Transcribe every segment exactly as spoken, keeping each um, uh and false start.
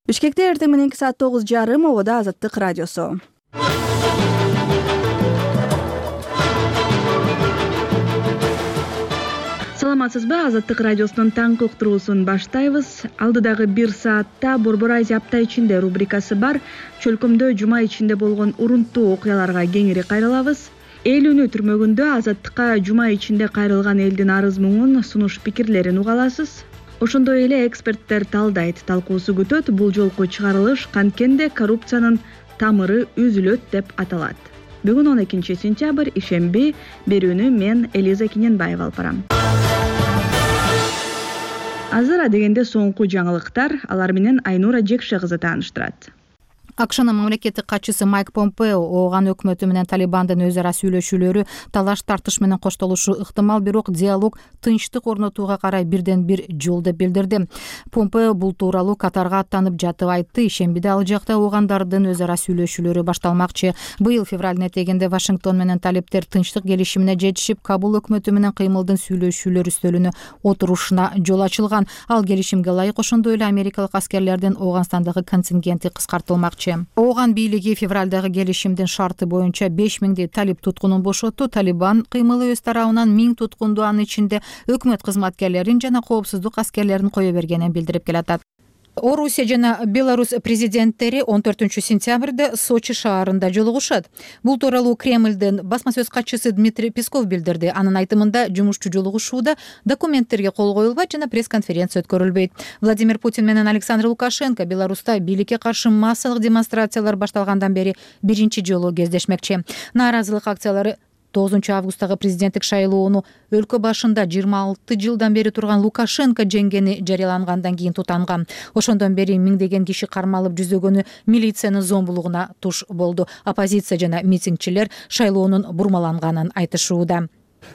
Бишкекте эртең мененки саат тогуз жарым ободо Азаттык радиосу. Саламатсызбы? Азаттык радиосунун таңкы уктуруусун баштайбыз. Алдыдагы бир саатта Борбор Азия апта ичинде рубрикасы бар. Чөлкөмдө жума ичинде болгон урунттуу окуяларга кеңири кайрылабыз. Эл үнү түрмөгүндө Азаттыкка жума ичинде кайрылган элдин арыз муңун, сунуш пикирлерин уга аласыз. Ошондой эле эксперттер талдайт, талкуусу күтөт. Бул жолку чыгарылыш канткенде коррупциянын тамыры үзүлөт деп аталат. Бүгүн он экинчи сентябрь, ишемби. Берүүнү мен Элиза Кененбаева алып барам. Азыр адегенде соңку жаңылыктар, алар менен Айнура Жекше кызы тааныштырат. АКШнын мамлекеттик катчысы Майк Помпео Ооган өкмөтү менен Талибандын өз ара сүйлөшүүлөрү талаш тартыш менен коштолушу ыктымал, бирок диалог тынчтык орнотууга карай бирден бир жол деп билдирди. Помпео бул тууралуу Катарга аттанып жатып айтты. Ишембиде ал жакта оогандардын өз ара сүйлөшүүлөрү башталмакчы. Быйыл февралдын этегинде Вашингтон менен талиптер тынчтык келишимине жетишип, Кабул өкмөтү менен кыймылдын сүйлөшүүлөр үстөлүнө отурушуна жол ачылган. Ал келишимге ылайык ошондой эле америкалык аскерлердин Ооганстандагы контингенти кыскартылмакчы. Ооган бийлиги февралдагы келишимдин шарты боюнча беш миңдей талип туткунун бошотту. Талибан кыймылы өз тарабынан миң туткунду, анын ичинде өкмөт кызматкерлерин жана коопсуздук аскерлерин кое бергенин билдирип келатат. Орусия жана Беларусь президенттери он төртүнчү сентябрда Сочи шаарында жолугушат. Бул тууралуу Кремлдин басма сөз катчысы Дмитрий Песков билдирди. Анын айтымында, жумушчу жолугушууда документтерге кол коюлбайт жана пресс-конференция өткөрүлбөйт. Владимир Путин менен Александр Лукашенко Беларуста бийликке каршы массалык демонстрациялар башталгандан бери биринчи жолу кездешмекчи. Нааразылык акциялары тогузунчу августтагы президенттик шайлоону өлкө башында жыйырма алты жылдан бери турган Лукашенко жеңгени жарыялангандан кийин тутанган. Ошондон бери миңдеген киши кармалып, жүзөгөнү милициянын зомбулугуна туш болду. Оппозиция жана митингчилер шайлоонун бурмаланганын айтышууда.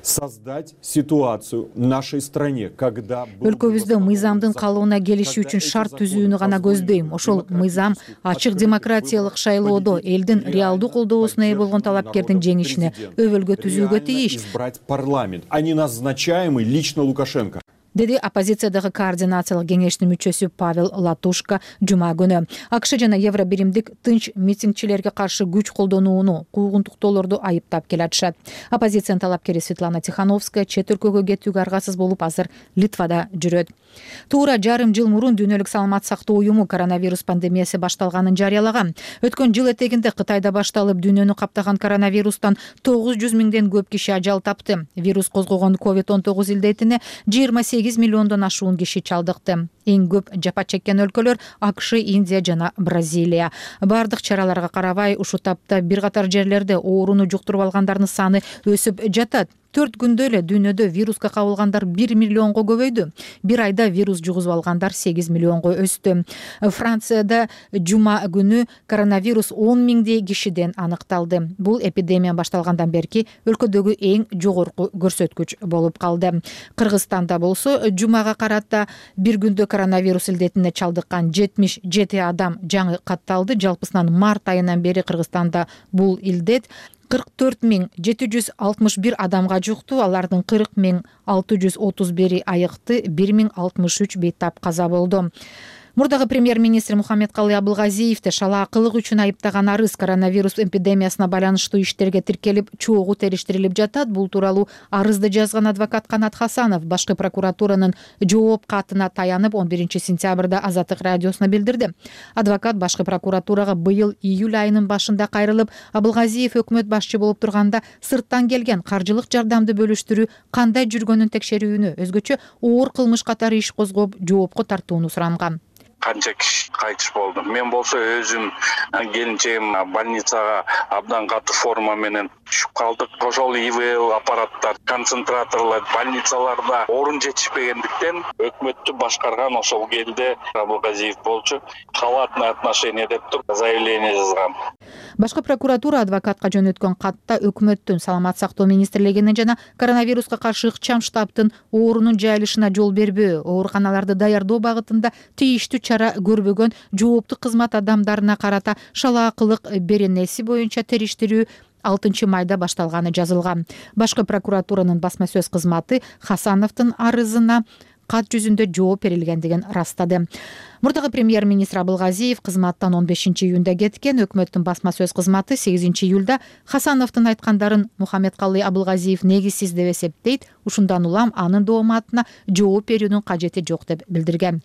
Создать ситуацию в нашей стране, когда өлкөбүздө мыйзамдын калыбына келиши үчүн шарт түзүүнү гана көздөйм. Ошол мыйзам ачык демократиялык шайлоодо элдин реалдуу колдоосуна ээ болгон талапкердин жеңишине өбөлгө түзүүгө тийиш. Избрать парламент, а не назначаемый лично Лукашенко, деди оппозициядагы координациялык кеңештин мүчөсү Павел Латушка жума күнү. АКШ жана Евробиримдик тынч митингчилерге каршы күч колдонууну, куугунтуктоолорду айыптап келатышат. Оппозициянын талапкери Светлана Тихановская чет өлкөгө кетүүгө аргасыз болуп, азыр Литвада жүрөт. Туура жарым жыл мурун Дүйнөлүк саламат сактоо уюму коронавирус пандемиясы башталганын жарыялаган. Өткөн жыл этегинде Кытайда башталып, дүйнөнү каптаган коронавирустан тогуз жүз миңден көп киши ажал тапты. Вирус козгогон ковид он тогуз илдетине жыйырма сегиз миллиондон ашуун киши чалдыкты. Эң көп жапа чеккен өлкөлөр АКШ, Индия жана Бразилия. Бардык чараларга карабай, ушул тапта бир катар жерлерде ооруну жуктуруп алгандардын саны өсүп жатат. Төрт күндө эле дүйнөдө вируска кабылгандар бир миллионго көбөйдү. Бир айда вирус жугузуп алгандар сегиз миллионго өстү. Францияда жума күнү коронавирус он миңдей кишиден аныкталды. Бул эпидемия башталгандан берки өлкөдөгү эң жогорку көрсөткүч болуп калды. Кыргызстанда болсо жумага карата бир күндө коронавирус илдетине чалдыккан жетимиш жети адам жаңы катталды. Жалпысынан март айынан бери Кыргызстанда бул илдет кырк төрт миң жети жүз алтымыш бир адамга жукту. Алардын кырк миң алты жүз отуз бири айыкты, бир миң алтымыш үч бейтап каза болду. Мурдагы премьер-министр Мухаммедкалый Абылгазиевди шалаакылык үчүн айыптаган арыз коронавирус эпидемиясына байланыштуу иштерге тиркелип, чогуу териштирилип жатат. Бул тууралуу арызды жазган адвокат Канат Хасанов башкы прокуратуранын жооп катына таянып он биринчи сентябрда Азаттык радиосуна билдирди. Адвокат башкы прокуратурага быйыл июль айынын башында кайрылып, Абылгазиев өкмөт башчы болуп турганда сырттан келген каржылык жардамды бөлүштүрүү кандай жүргөнүн текшерүүнү, өзгөчө оор кылмыш катары иш козгоп, жоопко тартууну суранган. Канча киши кайтыш болду. Мен болсо өзүм келинчегим больницага абдан катуу форма менен түшүп калдык. Ошол ИВЛ аппараттар, концентраторлор больницаларда орун жетишпегендиктен өкмөттү башкарган ошол келде Абылгазиев болчу. Халатное отношение деп туруп заявление жазган. Башкы прокуратура адвокатка жөнөткөн катта өкмөттүн, саламат сактоо министрлигинин жана коронавируска каршы ыкчам штабтын оорунун жайылышына жол бербөө, ооруканаларды даярдоо багытында тийиштүү чара көрбөгөн жооптук кызмат адамдарына карата шалаакылык беренеси боюнча териштирүү алтынчы майда башталганы жазылган. Башкы прокуратуранын басма сөз кызматы Хасановдун арызына кат жүзүндө жооп берилгендигин ырастады. Мурдагы премьер-министр Абылгазиев кызматтан он бешинчи июнда кеткен. Өкмөттүн басма сөз кызматы сегизинчи июлда Хасановдун айткандарын Мухаммедкалый Абылгазиев негизсиз деп эсептейт. Ушундан улам анын дооматына жооп берүүнүн кажети жок деп билдирген.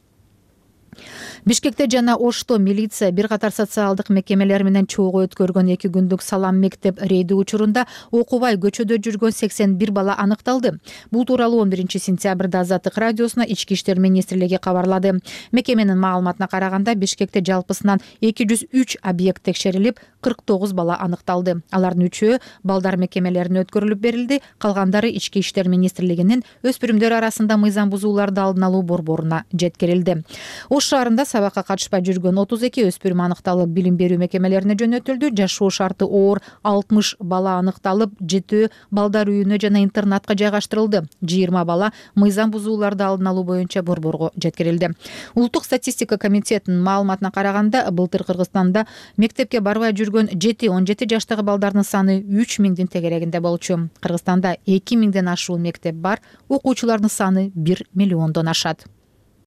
Бишкекте жана Ошто милиция бир катар социалдык мекемелер менен чогуу өткөргөн эки күндүк салам мектеп рейди учурунда окубай көчөдө жүргөн сексен бир бала аныкталды. Бул тууралуу он биринчи сентябрда Азаттык радиосуна Ички иштер министрлиги кабарлады. Мекеменин маалыматына караганда Бишкекте жалпысынан эки жүз үч объект текшерилип, кырк тогуз бала аныкталды. Алардын үчөө балдар мекемелерине өткөрүлүп берилди, калгандары Ички иштер министрлигинин өспүрүмдөр арасында мыйзам бузууларды алдын алуу борборуна жеткирилди. Ош шаарында сабакка катышпай жүргөн отуз эки өспүрүм аныкталып, билим берүү мекемелерине жөнөтүлдү. Жашоо шарты оор алтымыш бала аныкталып, жетөө балдар үйүнө жана интернатка жайгаштырылды. жыйырма бала мыйзам бузууларды алдын алуу боюнча борборго жеткирилди. Улуттук статистика комитетинин маалыматына караганда, былтыр Кыргызстанда мектепке барбай жүргөн жети он жети жаштагы балдардын саны үч миңдин тегерегинде болчу. Кыргызстанда эки миңден ашуун мектеп бар, окуучулардын саны бир миллиондон ашат.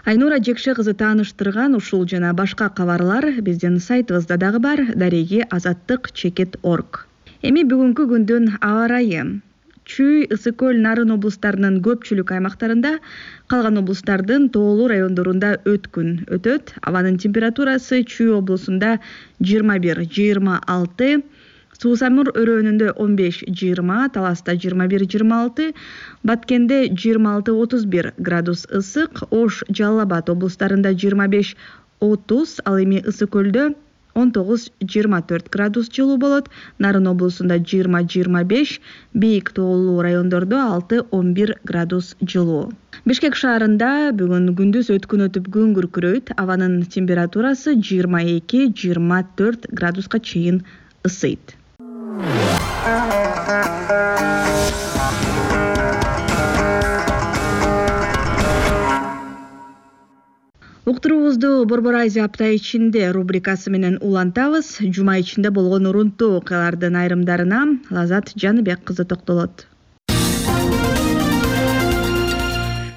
Айнура Жекше кызы тааныштырган ушул жана башка кабарлар биздин сайтыбызда дагы бар. Дареги азаттык чекит точка орг. Эми бүгүнкү күндүн аба ырайы. Чүй, Ысык көл, Нарын облустарынын көпчүлүк аймактарында, калган облустардын тоолуу райондорунда өткүн өтөт. Абанын температурасы Чүй облусунда жыйырма бир жыйырма алты, Суу-Самур өрөөнүндө он беш жыйырма, Таласта жыйырма бир жыйырма алты, Баткенде жыйырма алты отуз бир градус ысык, Ош, Жалал Абад облустарында жыйырма беш отуз, ал эми Ысык көлдө он тогуз жыйырма төрт градус жылуу болот. Нарын облусунда жыйырма жыйырма беш, бийик тоолуу райондордо алты он бир градус жылуу. Бишкек шаарында бүгүн күндүз өткүн өтүп күн күркүрөйт. Абанын температурасы жыйырма эки жыйырма төрт градуска чейин ысыйт. Уктуруубузду Борбор Азия апта ичинде рубрикасы менен улантабыз. Жума ичинде болгон урунттуу окуялардын айрымдарына Лазат Жаныбек кызы токтолот.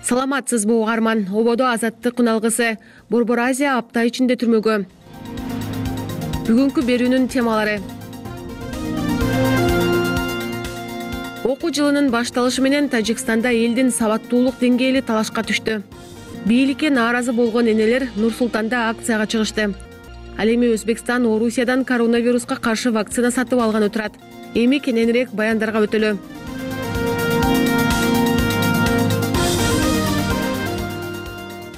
Саламатсызбы угарман, ободо азаттык куналгысы Борбор Азия апта ичинде түрмөгө. Бүгүнкү берүүнүн темалары: окуу жылынын башталышы менен Тажикстанда элдин сабаттуулук деңгээли талашка түштү. Бийликке нааразы болгон энелер Нур-Султанда акцияга чыгышты. Ал эми Өзбекстан Орусиядан коронавируска каршы вакцина сатып алганы турат. Эми кененирээк баяндарга өтөлү.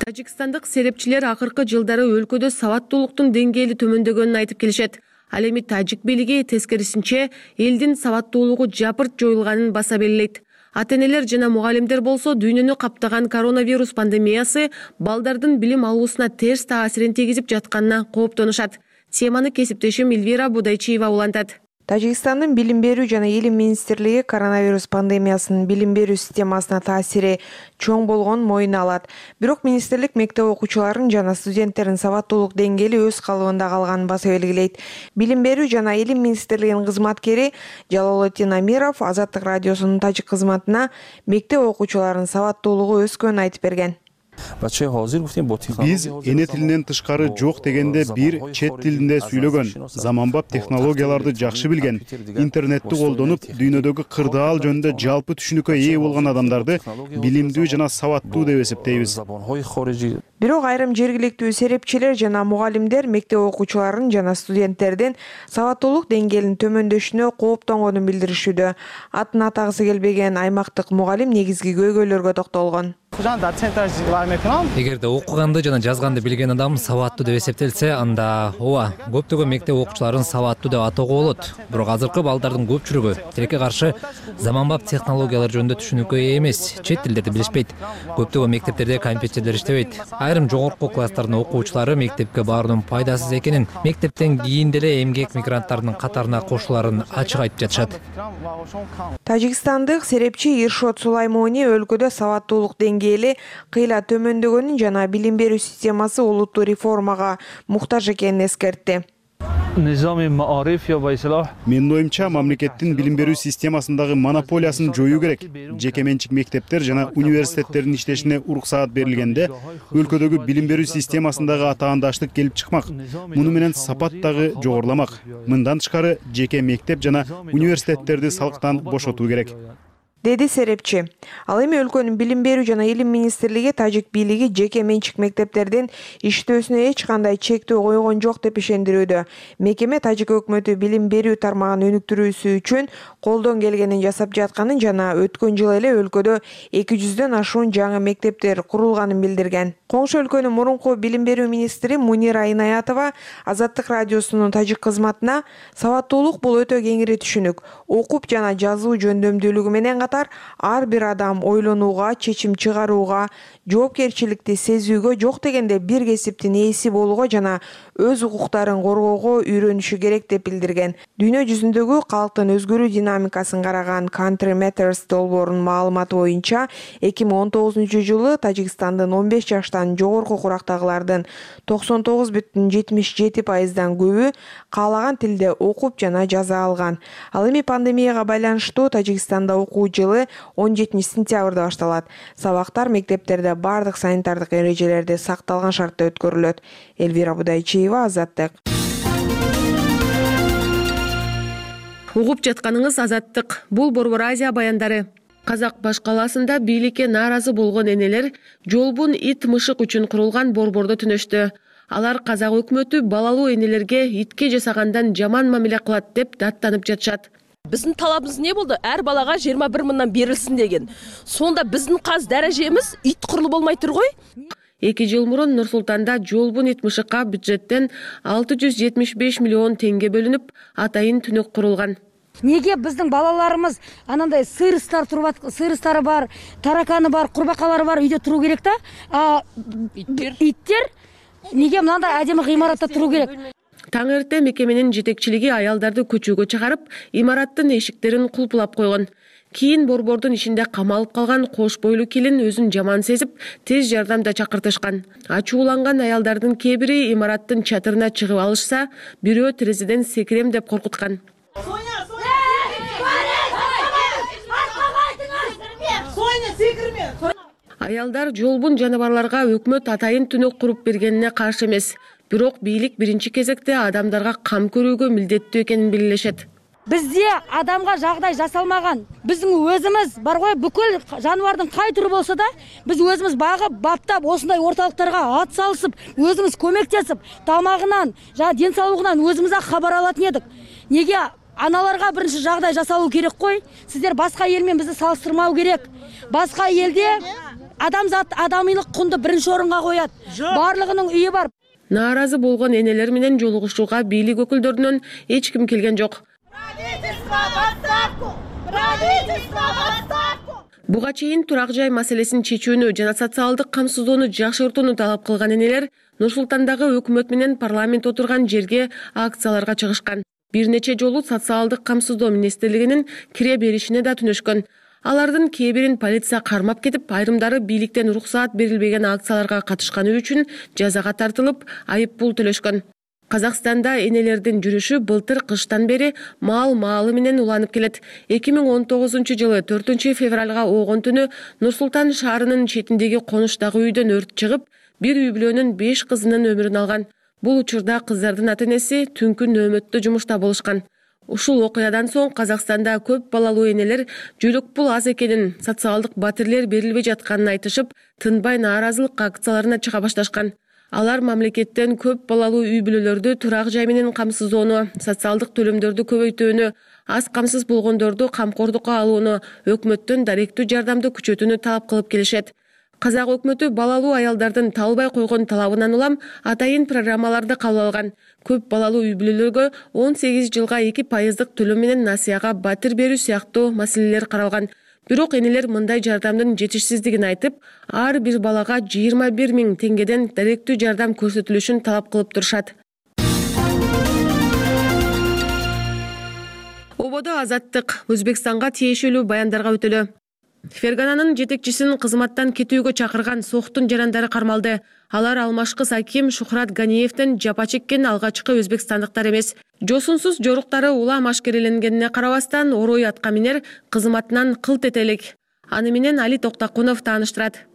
Тажикстандык серепчилер акыркы жылдары өлкөдө сабаттуулуктун деңгээли төмөндөгөнүн айтып келишет. Ал эми тажик бийлиги тескерисинче элдин сабаттуулугу жапырт жоюлганын баса белгилейт. Ата-энелер жана мугалимдер болсо дүйнөнү каптаган коронавирус пандемиясы балдардын билим алуусуна терс таасирин тийгизип жатканына кооптонушат. Теманы кесиптешим Эльвира Будайчиева улантат. Тажикстандын билим берүү жана илим министрлиги коронавирус пандемиясынын билим берүү системасына таасири чоң болгонун моюна алат. Бирок министрлик мектеп окуучуларын жана студенттердин сабаттуулук деңгээли өз калыбында калганын баса белгилейт. Билим берүү жана илим министрлигинин кызматкери Жалолотдин Амиров Азаттык радиосунун тажик кызматына мектеп окуучуларынын сабаттуулугу өскөнүн айтып берген. Биз эне тилинен тышкары жок дегенде бир чет тилинде сүйлөгөн, заманбап технологияларды жакшы билген, интернетти колдонуп, дүйнөдөгү кырдаал жөнүндө жалпы түшүнүккө ээ болгон адамдарды билимдүү жана сабаттуу деп эсептейбиз. Бирок айрым жергиликтүү серепчилер жана мугалимдер мектеп окуучуларынын жана студенттердин сабаттуулук деңгээлинин төмөндөшүнө кооптонгонун билдиришүүдө. Атын атагысы келбеген аймактык мугалим негизги көйгөйлөргө токтолгон. Эгерде окуганды жана жазганды билген адам сабаттуу деп эсептелсе, анда ооба, көптөгөн мектеп окуучуларын сабаттуу деп атоого болот. Бирок азыркы балдардын көпчүлүгү тилекке каршы заманбап технологиялар жөнүндө түшүнүккө ээ эмес, чет тилдерди билишпейт. Көптөгөн мектептерде компьютерлер иштебейт. Айрым жогорку класстардын окуучулары мектепке баруунун пайдасыз экенин, мектептен кийин деле эмгек мигранттарынын катарына кошуларын ачык айтып жатышат. Тажикстандык серепчи Иршот Сулаймони өлкөдө сабаттуулук деңгээли кыйла төмөндөгөнүн жана билим берүү системасы олуттуу реформага муктаж экенин эскертти. Менин оюмча мамлекеттин билим берүү системасындагы монополиясын жоюу керек. Жеке менчик мектептер жана университеттердин иштешине уруксаат берилгенде өлкөдөгү билим берүү системасындагы атаандаштык келип чыкмак. Муну менен сапат дагы жогоруламак. Мындан тышкары жеке мектеп жана университеттерди салыктан бошотуу керек, деди серепчи. Ал эми өлкөнүн билим берүү жана илим министрлиги тажик бийлиги жеке менчик мектептердин иштөөсүнө эч кандай чектөө койгон жок деп ишендирүүдө. Мекеме тажик өкмөтү билим берүү тармагын өнүктүрүүсү үчүн колдон келгенин жасап жатканын жана өткөн жылы эле өлкөдө эки жүздөн ашуун жаңы мектептер курулганын билдирген. Коңшу өлкөнүн мурунку билим берүү министри Мунира Инаятова Азаттык радиосунун тажик кызматына сабаттуулук бул өтө кеңири түшүнүк. Окуп жана жазуу жөндөмдүүлүгү менен катар ар бир адам ойлонууга, чечим чыгарууга, жоопкерчиликти сезүүгө, жок дегенде бир кесиптин ээси болууга жана өз укуктарын коргоого үйрөнүшү керек деп билдирген. Дүйнө жүзүндөгү калктын өзгөрүү динамикасын караган Country Matters долбоорунун маалыматы боюнча эки миң он тогузунчу жылы Тажикстандын он беш жаштан жогорку курактагылардын токсон тогуз бүтүн жетимиш жети пайыздан көбү каалаган тилде окуп жана жаза алган. Ал эми пандемияга байланыштуу Тажикстанда окуу жылы он жетинчи сентябрда башталат. Сабактар мектептерде бардык санитардык эрежелерди сакталган шартта өткөрүлөт. Элвира Будайчиева, Азаттык. Угуп жатканыңыз Азаттык. Бул Борбор Азия баяндары. Казак баш калаасында бийликке нааразы болгон энелер жолбун ит мышык үчүн курулган борбордо түнөштү. Алар казак өкмөтү балалуу энелерге итке жасагандан жаман мамиле кылат деп даттанып жатышат. Биздин талабыбыз не болду? Ар балага жыйырма бир мыңдан берилсин деген. Сонда биздин каз даражемиз ит курулу болмай тургой? эки жыл мурун Нур Султанда жолбун ит мышыкка бюджеттен алты жүз жетимиш беш миллион теңге бөлүнүп, атайын түнөк курулган. Неге биздин балаларымыз анандай сырыстар туруп, сырыстары бар, тараканы бар, курбакалары бар үйдө туруу керек да? А иттер иттер неге мынандай адемі гыймаратта туруу керек? Таң эрте мекеменин жетекчилиги аялдарды көчөгө чыгарып, имараттын эшиктерин кулпулап койгон. Кийин борбордун ичинде камалып калган кош бойлуу келин өзүн жаман сезип, тез жардамда чакыртышкан. Ачууланган аялдардын кээ бири имараттын чатырына чыгып алышса, бирөө терезеден секирем деп коркуткан. Аялдар жолбун жаныбарларга өкмөт атайын түнөк куруп бергенине каршы эмес. Бирок бийлик биринчи кезекте адамдарга кам көрүүгө милдеттүү экенин белгилешет. Бизде адамга жагдай жасалмаган. Биздин өзүбүз бар гой, бүкүл жаныбардын кай түрү болсо да, биз өзүбүз багып, баптап, осундай орталыктарга ат салышып, өзүбүз көмөктөсүп, тамагынан, жана ден соолугунан өзүбүз кабар алатын едик. Неге аналарга биринчи жагдай жасалуу керек кой? Сиздер башка эл менен бизди салыштырмау керек. Башка элде адамзат адамдылык кунду биринчи орунга коет. Барлыгынын үйү бар. Нааразы болгон энелер менен жолугушууга бийлик өкүлдөрүнөн эч ким келген жок. Буга чейин турак жай маселесин чечүүнү жана социалдык камсыздоону жакшыртууну талап кылган энелер Нур Султандагы өкмөт менен парламент отурган жерге акцияларга чыгышкан. Бир нече жолу социалдык камсыздоо министрлигинин кире беришине да түнөшкөн. Алардын кээ бирин полиция кармап кетип, айрымдары бийликтен уруксаат берилбеген акцияларга катышканы үчүн жазага тартылып, айып пул төлөшкөн. Казакстанда энелердин жүрүшү былтыр кыштан бери маал маалы менен уланып келет. эки миң он тогузунчу жылы төртүнчү февралга оогон түнү Нур Султан шаарынын четиндеги конуштагы үйдөн өрт чыгып, бир үй бүлөнүн беш кызынын өмүрүн алган. Бул учурда кыздардын ата-энеси түнкү нөөмөттө жумушта болушкан. Ушул окуядан соң Казакстанда көп балалуу энелер жөлөк пул аз экенин, социалдык батирлер берилбей жатканын айтышып, тынбай нааразылык акцияларына чыга башташкан. Алар мамлекеттен көп балалуу үй бүлөлөрдү турак жай менен камсыздоону, социалдык төлөмдөрдү көбөйтүүнү, аз камсыз болгондорду камкордукка алууну, өкмөттөн даректүү жардамды күчөтүүнү талап кылып келишет. Казак өкмөтү балалуу аялдардын талбай койгон талабынан улам атайын программаларды кабыл алган. Көп балалуу үй бүлөлөргө он сегиз жылга эки пайыздык төлөм менен насыяга батир берүү сыяктуу маселелер каралган. Бирок энелер мындай жардамдын жетишсиздигин айтып, ар бир балага жыйырма бир миң теңгеден даректүү жардам көрсөтүлүшүн талап кылып турушат. Ободо Азаттык. Өзбекстанга тиешелүү баяндарга өтөлө. Фергананын жетекчисин кызматтан кетүүгө чакырган Сохтун жарандары кармалды. Алар алмашкы аким Шухрат Ганиевден жапа чеккен алгачкы өзбекстандыктар эмес. Жосунсуз жоруктары улам ашкереленгенине карабастан Орой аткаминер кызматынан кылт эте элек. Аны менен Али Токтакунов тааныштырат.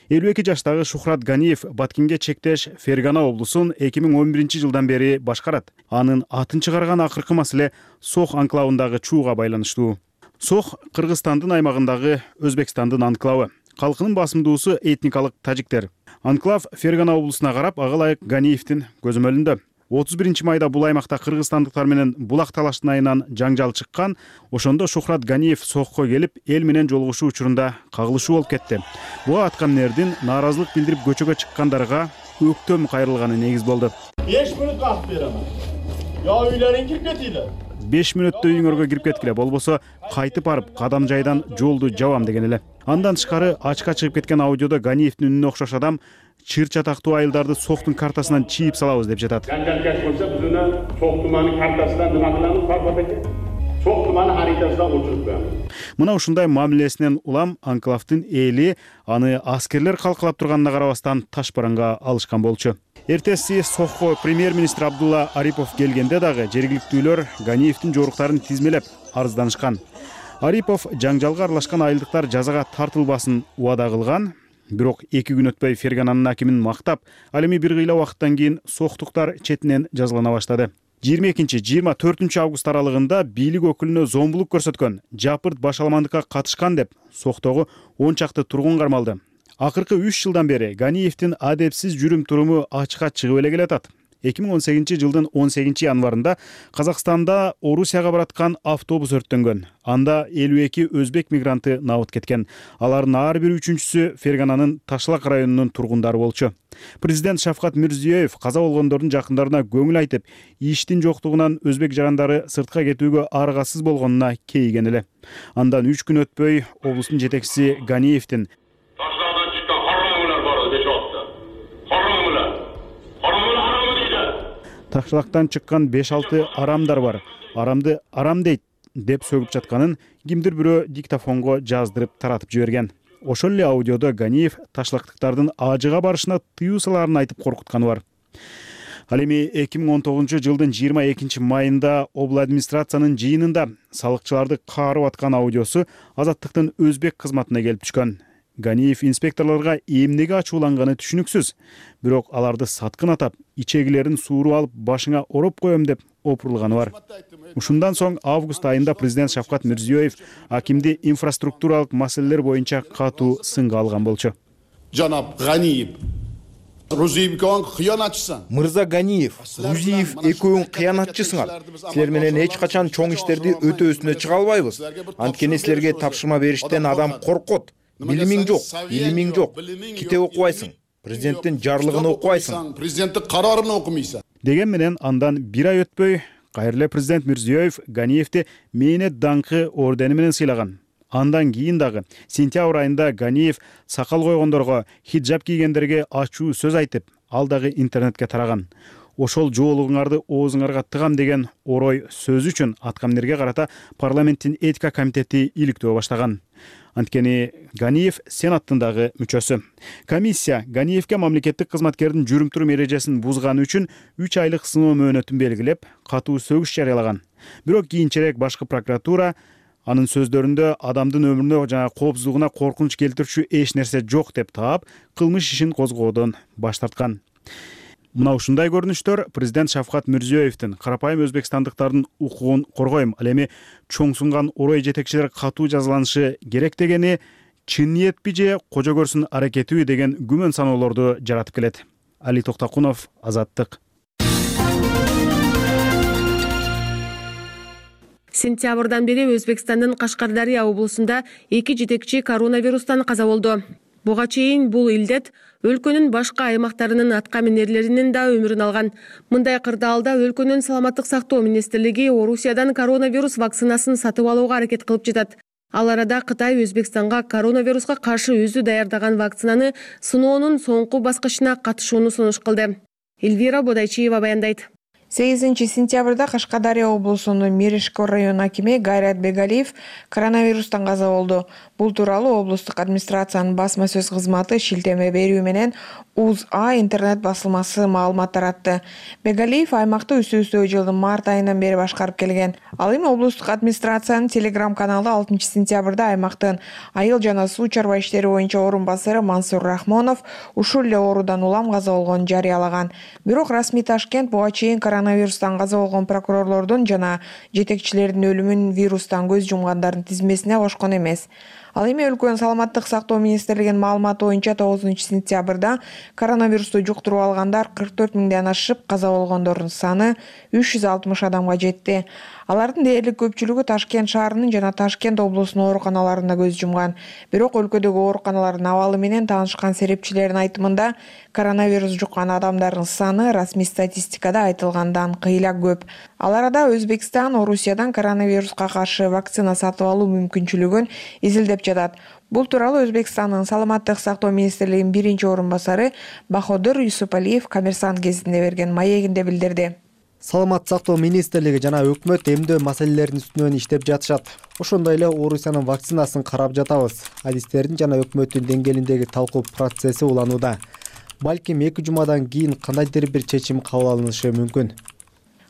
элүү эки жаштагы Шухрат Ганиев Баткенге чектеш Фергана облусун эки миң он биринчи жылдан бери башкарат. Анын атын чыгарган акыркы маселе Сох анклавындагы чууга байланыштуу. Сох Кыргызстандын аймагындагы Өзбекстандын анклавы. Калкынын басымдуусу этникалык тажиктер. Анклав Фергана облусуна карап, ага ылайык Ганиевдин көзөмөлүндө. отуз биринчи майда бул аймакта кыргызстандыктар менен булак талаштын айынан жаңжал чыккан. Ошондо Шухрат Ганиев Сохко келип, эл менен жолугушуу учурунда кагылышуу болуп кетти. Буга аткаминердин нааразылык билдирип көчөгө чыккандарга өктөм кайрылганы негиз болду. беш мүнөт калып берем. Я үйлөрүңө кирип кетийлер. беш мүнөттө үйүңөргө кирип кеткиле, болбосо кайтып барып кадам жайдан жолду жабам деген эле. Андан тышкары ачка чыгып кеткен аудиодо Ганиевдин үнүнө окшош адам чыр чатактуу айылдарды Сохтун картасынан чийип салабыз деп жатат. Жанжалкаш болсо биз уну Сох туманы картасынан нема кылабыз, Парпат эке? Сох туманы харитасынан өчүрүп коебуз. Мына ушундай мамилесинен улам анклавдын эли аны аскерлер калкалап турганына карабастан таш бараңга алышкан болчу. Эртеси Сохко премьер-министр Абдулла Арипов келгенде дагы жергиликтүүлөр Ганиевдин жоруктарын тизмелеп арызданышкан. Арипов жаңжалга аралашкан айылдыктар жазага тартылбасын убада кылган. Бирок эки күн өтпөй Фергананын акимин мактап, ал эми бир кыйла убакыттан кийин Сохтуктар четинен жазалана баштады. жыйырма экинчи жыйырма төртүнчү август аралыгында бийлик өкүлүнө зомбулук көрсөткөн, жапырт башаламандыкка катышкан деп Сохтогу он чакты тургун кармалды. Акыркы үч жылдан бери Ганиевдин адепсиз жүрүм туруму ачыкка чыгып эле келатат. эки миң он сегизинчи жылдын он сегизинчи январында Казакстанда Орусияга бараткан автобус өрттөнгөн. Анда элүү эки өзбек мигранты набыт кеткен. Алардын ар бир үчүнчүсү Фергананын Ташлак районунун тургундары болчу. Президент Шавкат Мирзиёев каза болгондордун жакындарына көңүл айтып, иштин жоктугунан өзбек жарандары сыртка кетүүгө аргасыз болгонуна кейиген эле. Андан үч күн өтпөй облустун жетекчиси Ганиевдин Ташлактан чыккан беш алты арамдар бар. Арамды арам дейт деп сөгүп жатканын кимдир бирөө диктофонго жаздырып таратып жиберген. Ошол эле аудиодо Ганиев ташлактыктардын ажыга барышына тыюу салаарын айтып коркутканы бар. Ал эми эки миң он тогузунчу жылдын жыйырма экинчи майында обл администрациянын жыйынында салыкчыларды каарып аткан аудиосу Азаттыктын өзбек кызматына келип түшкөн. Ганиев инспекторлорго эмнеге ачууланганы түшүнүксүз. Бирок аларды саткын атап, ичегилерин сууруп алып, башыңа ороп коем деп опурулганы бар. Ушундан соң август айында президент Шавкат Мирзиёев акимди инфраструктуралык маселелер боюнча катуу сынга алган болчу. Жанап Ганиев, Рузиевкон кыянатчысың. Мырза Ганиев, Рузиев экөөң кыянатчысыңар. Силер менен эч качан чоң иштерди өтөөсүнө чыга албайбыз. Анткени силерге тапшырма бериштен адам коркот. Билимиң жок, илимиң жок. Китеп окубайсың. Президенттин жарлыгын окубайсың. Президенттин карарын окумайсың. Деген менен андан бир ай өтпөй кайрыле президент Мирзиёев Ганиевди мээнет даңкы ордени менен сыйлаган. Андан кийин дагы сентябрь айында Ганиев сакал койгондорго, хиджаб кийгендерге ачуу сөз айтып, ал дагы интернетке тараган. Ошол жоолугуңарды оозуңарга тыгам деген орой сөзү үчүн аткаминерге карата парламенттин этика комитети иликтөө баштаган. Анткени Ганиев сенаттын дагы мүчөсү. Комиссия Ганиевге мамлекеттик кызматкердин жүрүм турум эрежесин бузганы үчүн үч айлык сыноо мөөнөтүн белгилеп, катуу сөгүш жарыялаган. Бирок кийинчерээк башкы прокуратура анын сөздөрүндө адамдын өмүрүнө жана коопсуздугуна коркунуч келтирүүчү эч нерсе жок деп таап, кылмыш ишин козгоодон баш тарткан. Мына ушундай көрүнүштөр президент Шавкат Мирзиёевдин карапайым өзбекстандыктардын укугун коргойм, ал эми чоңсунган орой жетекчилер катуу жазаланышы керек дегени чын ниетпи же кожо көрсүн аракетиби деген күмөн саноолорду жаратып келет. Али Токтакунов, Азаттык. Сентябрдан бери Өзбекстандын Кашкардария облусунда эки жетекчи коронавирустан каза болду. Буга чейин бул илдет өлкөнүн башка аймактарынын аткаминерлеринин да өмүрүн алган. Мындай кырдаалда өлкөнүн саламаттык сактоо министрлиги Орусиядан коронавирус вакцинасын сатып алууга аракет кылып жатат. Ал арада Кытай Өзбекстанга коронавируска каршы өзү даярдаган вакцинаны сыноонун соңку баскычына катышууну сунуш кылды. Эльвира Бодайчиева баяндайт. сегизинчи сентябрда Кашкадария облусунун Меришкор район акими Гайрат Бегалиев коронавирустан каза болду. Бул тууралуу облустук администрациянын басма сөз кызматы шилтеме берүү менен УЗА интернет басылмасы маалымат таратты. Бегалиев аймакты үстө-үстө жылдын март айынан бери башкарып келген. Ал эми облустук администрациянын телеграм каналы алтынчы сентябрда аймактын айыл жана суу чарба иштери боюнча орун басары Мансур Рахмонов ушул эле оорудан улам каза болгонун жарыялаган. Бирок расмий Ташкент буга чейин коронавирустан каза болгон прокурорлордун жана жетекчилердин өлүмүн вирустан көз жумгандардын тизмесине кошкон эмес. Ал эми өлкөнүн саламаттык сактоо министрлигинин маалыматы боюнча тогузунчу сентябрда коронавирусту жуктуруп алгандар кырк төрт миңден ашып, каза болгондордун саны үч жүз алтымыш адамга жетти. Алардын дээрлик көпчүлүгү Ташкент шаарынын жана Ташкент облусунун ооруканаларында көз жумган. Бирок өлкөдөгү ооруканалардын абалы менен таанышкан серепчилердин айтымында коронавирус жуккан адамдардын саны расмий статистикада айтылгандан кыйла көп. Ал арада Өзбекстан Орусиядан коронавируска каршы вакцина сатып алуу мүмкүнчүлүгүн изилдеп жатат. Бул тууралуу Өзбекстандын саламаттык сактоо министрлигинин биринчи орун басары Баходур Юсупалиев Коммерсант гезитине берген маегинде билдирди. Саламаттык сактоо министрлиги жана өкмөт эмдөө маселелеринин үстүнөн иштеп жатышат. Ошондой эле Орусиянын вакцинасын карап жатабыз. Адистердин жана өкмөттүн деңгээлиндеги талкуу процесси уланууда. Балким эки жумадан кийин кандайдыр бир чечим кабыл алынышы мүмкүн.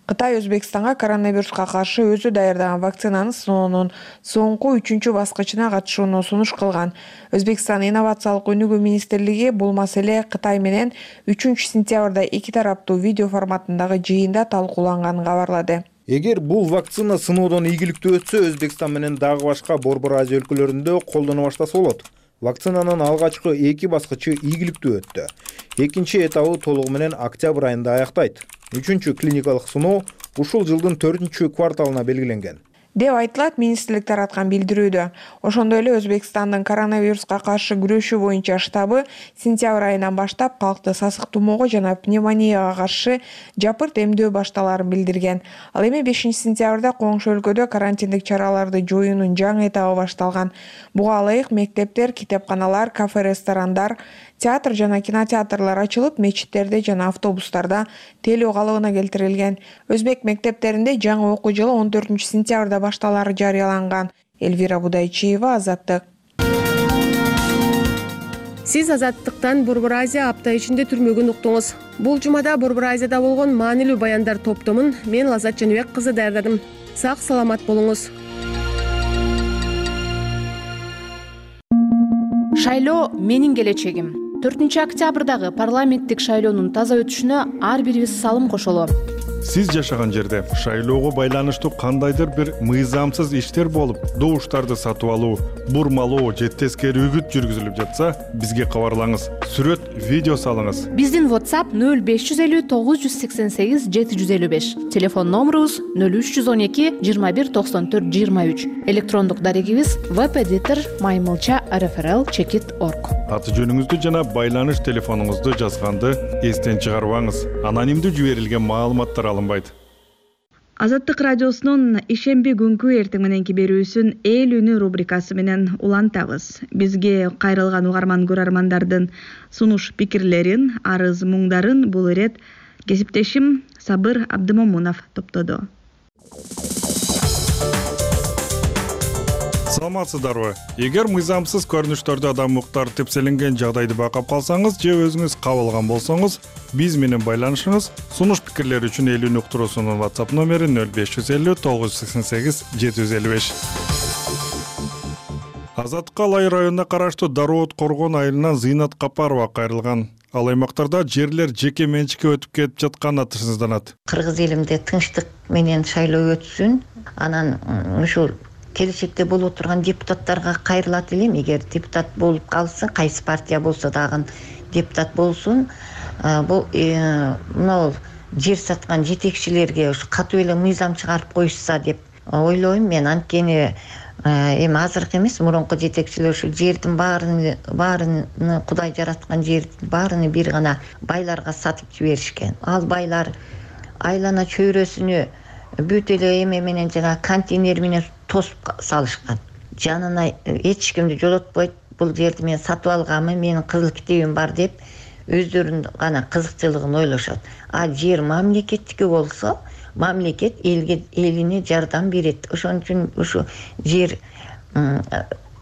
Кытай Өзбекстанга коронавируска каршы өзү даярдаган вакцинаны сыноонун соңку үчүнчү баскычына катышууну сунуш кылган. Өзбекстан инновациялык өнүгүү министрлиги бул маселе Кытай менен үчүнчү сентябрда эки тараптуу видео форматындагы жыйында талкууланганын кабарлады. Эгер бул вакцина сыноодон ийгиликтүү өтсө, Өзбекстан менен дагы башка Борбор Азия өлкөлөрүндө колдоно баштаса болот. Вакцинанын алгачкы эки баскычы ийгиликтүү өттү. Экинчи этабы толугу менен октябрь айында аяктайт. Үчүнчү клиникалык сыноо ушул жылдын төртүнчү кварталына белгиленген деп айтылат министрлик тараткан билдирүүдө. Ошондой эле Өзбекстандын коронавируска каршы күрөшүү боюнча штабы сентябрь айынан баштап калкты сасык тумоого жана пневмонияга каршы жапырт эмдөө башталарын билдирген. Ал эми бешинчи сентябрда коңшу өлкөдө карантиндик чараларды жоюунун жаңы этабы башталган. Буга ылайык мектептер, китепканалар, кафе, ресторандар, театр жана кинотеатрлар ачылып, мечиттерде жана автобустарда телөө калыбына келтирилген. Өзбек мектептеринде жаңы окуу жылы он төртүнчү сентябрда башталары жарыяланган. Эльвира Будайчиева, Азаттык. Сиз Азаттыктан Борбор Азия апта ичинде түрмөгүн уктуңуз. Бул жумада Борбор Азияда болгон маанилүү баяндар топтомун мен Лаззат Жаныбек кызы даярдадым. Сак саламат болуңуз. Шайлоо менин келечегим. төртүнчү октябрдагы парламенттик шайлоонун таза өтүшүнө ар бирибиз салым кошолу. Сиз жашаган жерде шайлоого байланыштуу кандайдыр бир мыйзамсыз иштер болуп, добуштарды сатып алуу, бурмалоо же тескери үгүт жүргүзүлүп жатса, бизге кабарлаңыз. Сүрөт, видео салыңыз. Биздин WhatsApp нөл беш жүз элүү тогуз жүз сексен сегиз жети жүз элүү беш. Телефон номерубуз нөл үч жүз он эки жыйырма бир токсон төрт жыйырма үч. Электрондук дарегибиз webeditor маймылча эр эф эр эл чекит точка орг. Аты жөнүңүздү жана байланыш телефонуңузду жазганды эстен чыгарбаңыз. Анонимдүү жиберилген маалыматтар алынбайт. Азаттык радиосунун ишемби күнкү эртең мененки берүүсүн эл үнү рубрикасы менен улантабыз. Бизге кайрылган угарман көрөрмандардын сунуш пикирлерин, арыз муңдарын бул ирет кесиптешим Сабыр Абдымомунов топтоду. Саламатсыздарбы? Эгер мыйзамсыз көрүнүштөрдө адам укуктары тепселенген жагдайды байкап калсаңыз же өзүңүз кабылган болсоңуз, биз менен байланышыңыз. Сунуш пикирлер үчүн эл үнү уктуруусунун WhatsApp номери нөл беш жүз элүү тогуз жүз сексен сегиз жети жүз элүү беш. Азаттыкка Алай районуна караштуу Дароот Коргон айылынан Зыйнат Капарова кайрылган. Ал аймактарда жерлер жеке менчикке өтүп кетип жатканы тышсызданат. Кыргыз элимде тынчтык менен шайлоо өтсүн. Анан ушул келечекте болуп турган депутаттарга кайрылат элем. Эгер депутат болуп калсын, кайсы партия болсо дагы депутат болсун, бул мына жер саткан жетекчилерге ушу катуу эле мыйзам чыгарып коюшса деп ойлойм мен. Анткени эми азыркы эмес, мурунку жетекчилер ушу жердин баарын баарын Кудай жараткан жердин баарыны бир гана байларга сатып жиберишкен. Ал байлар айлана чөйрөсүнө бүт эле эме менен жана контейнер менен тосуп салышкан. Жанына эч кимди жолотпойт. Бул жерди мен сатып алганмын, менин кызыл китебим бар деп өздөрүнүн гана кызыкчылыгын ойлошот. А жер мамлекеттики болсо, мамлекет элге элине жардам берет. Ошон үчүн ушу жер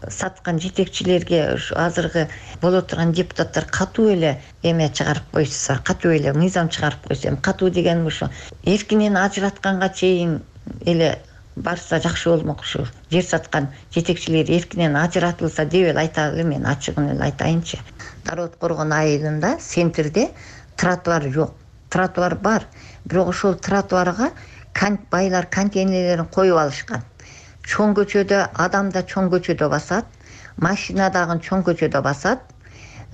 саткан жетекчилерге ушу азыркы боло турган депутаттар катуу эле эме чыгарып койсо, катуу эле мыйзам чыгарып койсо, эми катуу деген ушу эркинен ажыратканга чейин эле барса жакшы болмок. Ушу жер саткан жетекчилер эркинен ажыратылса деп эле айталы. Мен ачыгын эле айтайынчы. Дароот Коргон айылында центрде тротуар жок. Тротуар бар, бирок ошол тротуарга байлар контейнерлерин коюп алышкан. Чоң көчөдө адам да чоң көчөдө басат, машина дагы чоң көчөдө басат.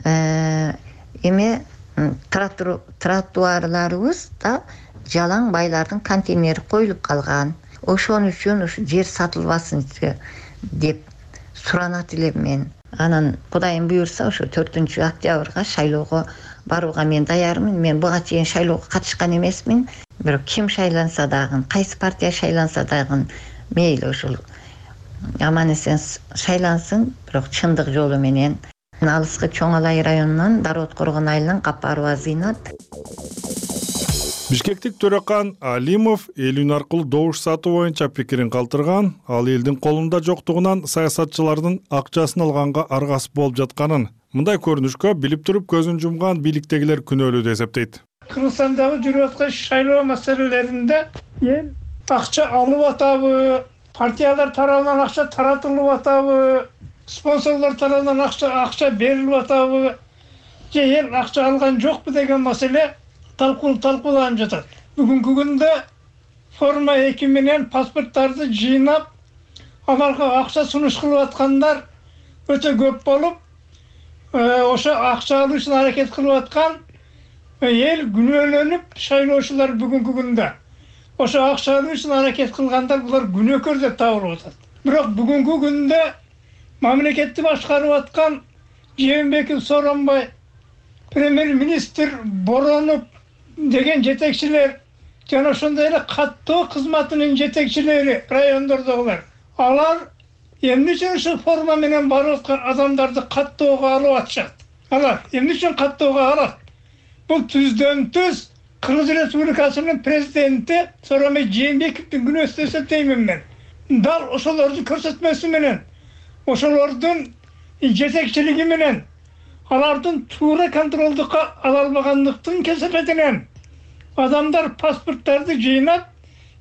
Эме тротуарларыбыз да жалаң байлардын контейнери коюлуп калган. Ошон үчүн ушу жер сатылбасын деп суранат элем мен. Анан Кудайым буйрса ошо төртүнчү октябрга шайлоого барууга мен даярмын. Мен буга чейин шайлоого катышкан эмесмин. Бирок ким шайланса дагы, кайсы партия шайланса дагы мейли ушул аман эсен шайлансын, бирок чындык жолу менен. Алыскы Чоң Алай районунан Дароот Коргон айылынан Капарова Зыйнат. Бишкектик Төрөкан Алимов эл үн аркылуу добуш сатуу боюнча пикирин калтырган. Ал элдин колунда жоктугунан саясатчылардын акчасын алганга аргасып болуп жатканын, мындай көрүнүшкө билип туруп көзүн жумган бийликтегилер күнөөлүү деп эсептейт. Кыргызстандагы жүрүп аткан шайлоо маселелеринде эл акча алып атабы, партиялар тарабынан акча таратылып атабы, спонсорлор тарабынан акча акча берилип атабы, же эл акча алган жокпу деген маселе талкуу талкууланып жатат. Бүгүнкү күндө форма эки менен паспорттарды жыйнап, аларга акча сунуш кылып аткандар өтө көп болуп, ошо акча алуу үчүн аракет кылып аткан эл күнөөлөнүп шайлоочулар бүгүнкү күндө ошо акча алуу үчүн аракет кылгандар булар күнөөкөр деп табылып атат. Бирок бүгүнкү күндө мамлекетти башкарып аткан Жээнбеков Сооронбай, премьер-министр Боронов деген жетекчилер жана ошондой эле каттоо кызматынын жетекчилери райондордогулар, алар эмне үчүн ушул форма менен барып аткан адамдарды каттоого алып атышат? Алар эмне үчүн каттоого алат? Бул түздөн түз Кыргыз Республикасынын президенти Сооронбай Жээнбековдун күнөөсү деп эсептеймин мен. Дал ошолордун көрсөтмөсү менен, ошолордун жетекчилиги менен, алардын туура контролдукка ала албагандыктын кесепетинен адамдар паспорттарды жыйнап,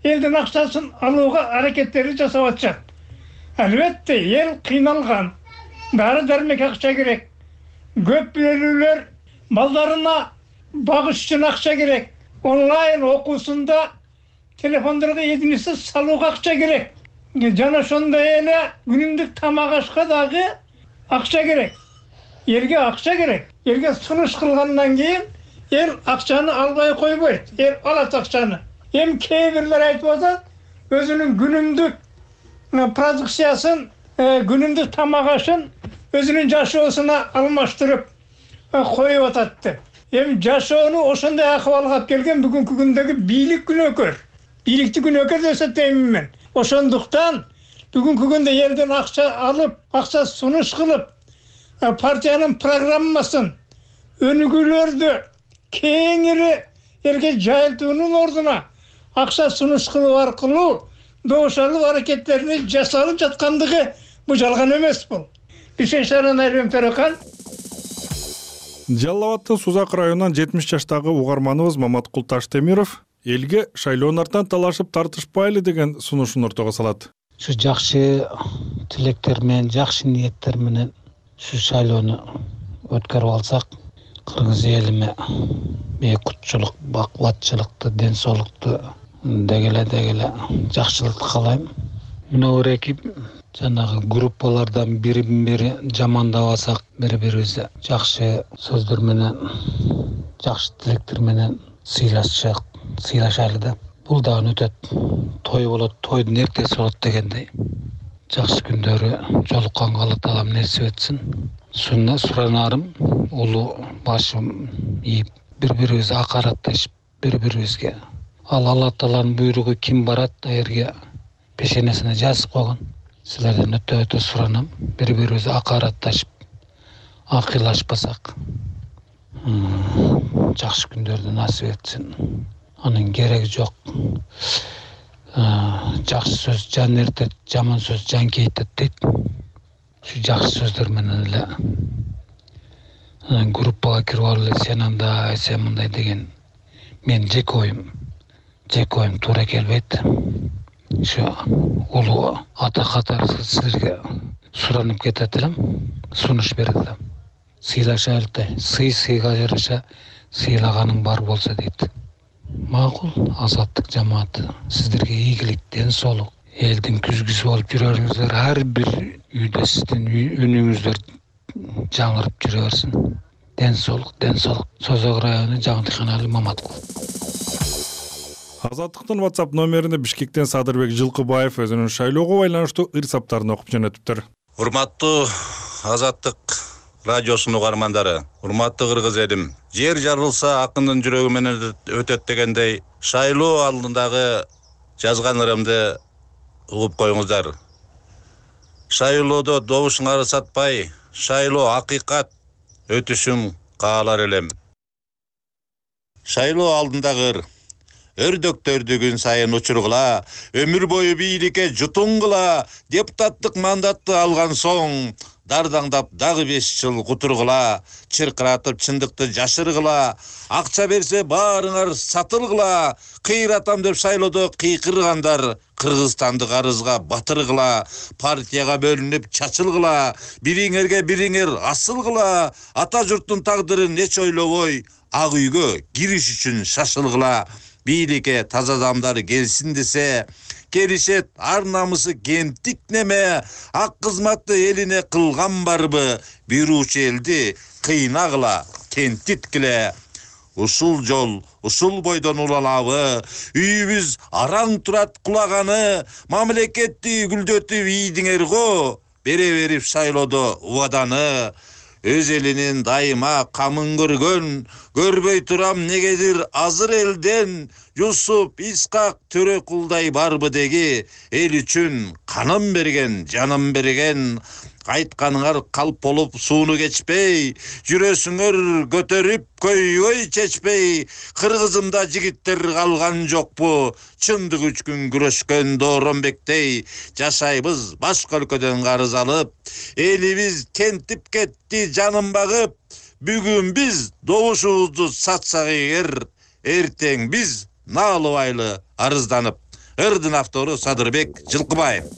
элдин акчасын алууга аракеттерди жасап атышат. Албетте, эл кыйналган. Дары дармек акча керек. Көп бөлүүлөр балдарына багыш үчүн акча керек. Онлайн окуусунда телефондорго единица салууга акча керек. Жана ошондой эле күнүмдүк тамак ашка дагы акча керек. Элге акча керек. Элге сунуш кылгандан кийин эл акчаны албай койбойт. Эл алат акчаны. Эми кээ бирлер айтып атат, өзүнүн күнүмдүк продукциясын, күнүмдүк тамак ашын өзүнүн жашоосуна алмаштырып коюп атат деп. Эми жашоону ошондой акыбалга алып келген бүгүнкү күндөгү бийлик күнөөкөр. Бийликти күнөөкөр деп эсептеймин мен. Ошондуктан бүгүнкү күндө элден акча алып, акча сунуш кылып, партиянын программасын, өнүгүүлөрдү кеңири элге жайылтуунун ордуна акча сунуш кылуу аркылуу добуш алуу аракеттерини жасалып жаткандыгы бул жалган эмес бул. Бишкек шаарынан Айрым Төрөкан. Жалал Абадтын Сузак районунан жетимиш жаштагы угарманыбыз Маматкул Таштемиров элге шайлоонун артынан талашып тартышпайлы деген сунушун ортого салат. Ушу жакшы тилектер менен, жакшы ниеттер менен ушу шайлоону өткөрүп алсак, кыргыз элиме бейкутчулук, бакубатчылыкты, ден соолукту дегеле дегеле жакшылыкты каалайм. Мына эки жанагы группалардан бирин бири жамандабасак, бири-бирибизди жакшы сөздөр менен, жакшы тилектер менен сыйлашсак, сыйлашалы да. Бул дагы өтөт. Той болот, тойдун эртеси болот дегендей. Жакшы күндөрү жолукканга Алла Таалам нерсе этсин. Сунна суранарым, улуу башым ийип, бири-бирибизди акаратташып, бири-бирибизге. Ал Алла Тааланын буйругу ким барат, аерге пешенесине жазып койгон. Силерден өтө-өтө суранам, бири-бирибизди акаратташып, акыйлашпасак, жакшы күндөрдү насип этсин. Анын кереги жок. Жакшы сөз жан эртет, жаман сөз жан кейтет дейт. Şu жакшы сөздөр менен эле группага кирип алып эле сен андай, сен мындай деген мен жеке оюм, жеке оюм туура келбейт. Şu улуу ата катары силерге суранып кетет элем, сунуш берет элем. Сыйлаша элте, сый сыйга жараша, сыйлаганың бар болсо дейт. Макул, азаттык жамааты сиздерге ийгилик, ден соолук, элдин күзгүсү болуп жүрөрүңүздөр, ар бир үйдө сиздин үнүңүздөр жаңырып жүрө берсин. Ден соолук, ден соолук. Созок району Жаңдыканалы Маматкул. Азаттыктын WhatsApp номерине Бишкектен Садырбек Жылкыбаев өзүнүн шайлоого байланыштуу ыр саптарын окуп жөнөтүптүр. Урматтуу Азаттык радиосунун угармандары, урматтуу кыргыз элим, жер жарылса акындын жүрөгү менен өтөт дегендей, шайлоо алдындагы жазган ырымды угуп коюңуздар. Шайлоодо добушуңарды сатпай, шайлоо акыйкат өтүшүн каалар элем. Шайлоо алдындагы ыр: өрдөктөрдү күн сайын учургула, өмүр бою бийликке жутуңгула, депутаттык мандатты алган соң дардаңдап дагы беш жыл кутургула, чыркыратып чындыкты жашыргыла, акча берсе баарыңар сатылгыла, кыйратам деп шайлоодо кыйкыргандар Кыргызстанды карызга батыргыла, партияга бөлүнүп чачылгыла, бириңерге бириңер асылгыла, ата журттун тагдырын эч ойлобой ак үйгө кириш үчүн шашылгыла, бийликке таза адамдар келсин десе, келишет ар намысы кемтик неме, ак кызматты элине кылган барбы, бир уч элди кыйнагыла, кентиткиле. Ушул жол, ушул бойдон улалабы, үйүбүз араң турат кулаганы, мамлекетти гүлдөтүп ийдиңер го, бере берип шайлоодо убаданы. Өз элинин дайыма камын көргөн, көрбөй турам негедир азыр элден, Юсуп Искак Төрөкулдай барбы деги, эл үчүн канын берген, жанын берген. Айтканыңар калп болуп сууну кечпей, жүрөсүңөр көтөрүп көйгөй чечпей, кыргызымда жигиттер калган жокпу, чындык үчүн күрөшкөн Дооронбектей, жашайбыз башка өлкөдөн карыз алып, элибиз кентип кетти жанын багып, бүгүн биз добушубузду сатсак эгер, эртең биз наалыбайлы арызданып. Ырдын автору Садырбек Жылкыбаев.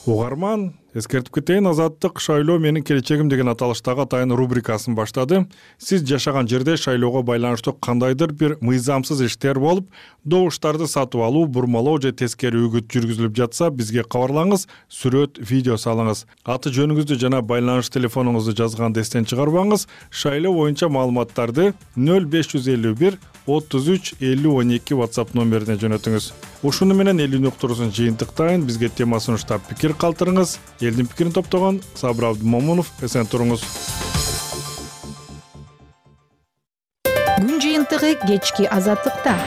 Угарман, эскертип кетейин, Азаттык шайлоо менин келечегим деген аталыштагы атайын рубрикасын баштады. Сиз жашаган жерде шайлоого байланыштуу кандайдыр бир мыйзамсыз иштер болуп, добуштарды сатып алуу, бурмалоо же тескери үгүт жүргүзүлүп жатса, бизге кабарлаңыз, сүрөт, видео салыңыз. Аты жөнүңүздү жана байланыш телефонуңузду жазганды эстен чыгарбаңыз. Шайлоо боюнча маалыматтарды нөл беш жүз элүү бир отуз үч элүү он эки WhatsApp номерине жөнөтүңүз. Ушуну менен элүүнү уктуруусун жыйынтыктайын. Бизге тема сунуштап пикир калтырыңыз. Элдин пикирин топтогон Сабыр Абдымомунов, эсен туруңуз. Күн жыйынтыгы кечки Азаттыкта.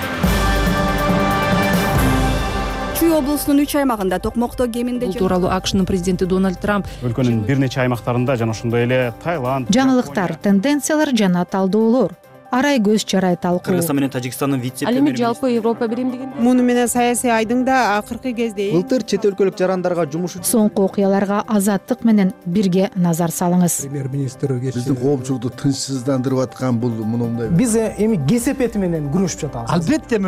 Чүй облусунун үч аймагында токмокто кеминде Бул тууралуу АКШнын президенти Дональд Трамп Өлкөнүн бир нече аймактарында жана ошондой эле Таиланд, жаңылыктар, тенденциялар жана талдоолор, арай көз чарай талкуу. Кыргызстан менен Тажикстандын вице-премьери. Ал эми жалпы Европа биримдигинде. Муну менен саясий айдың да акыркы кезде былтыр чет өлкөлүк жарандарга жумуш үчүн соңку окуяларга Азаттык менен бирге назар салыңыз. Премьер-министр биздин коомчулукту тынчсыздандырып аткан бул мындай. Биз эми кесепети менен күрөшүп жатабыз. Албетте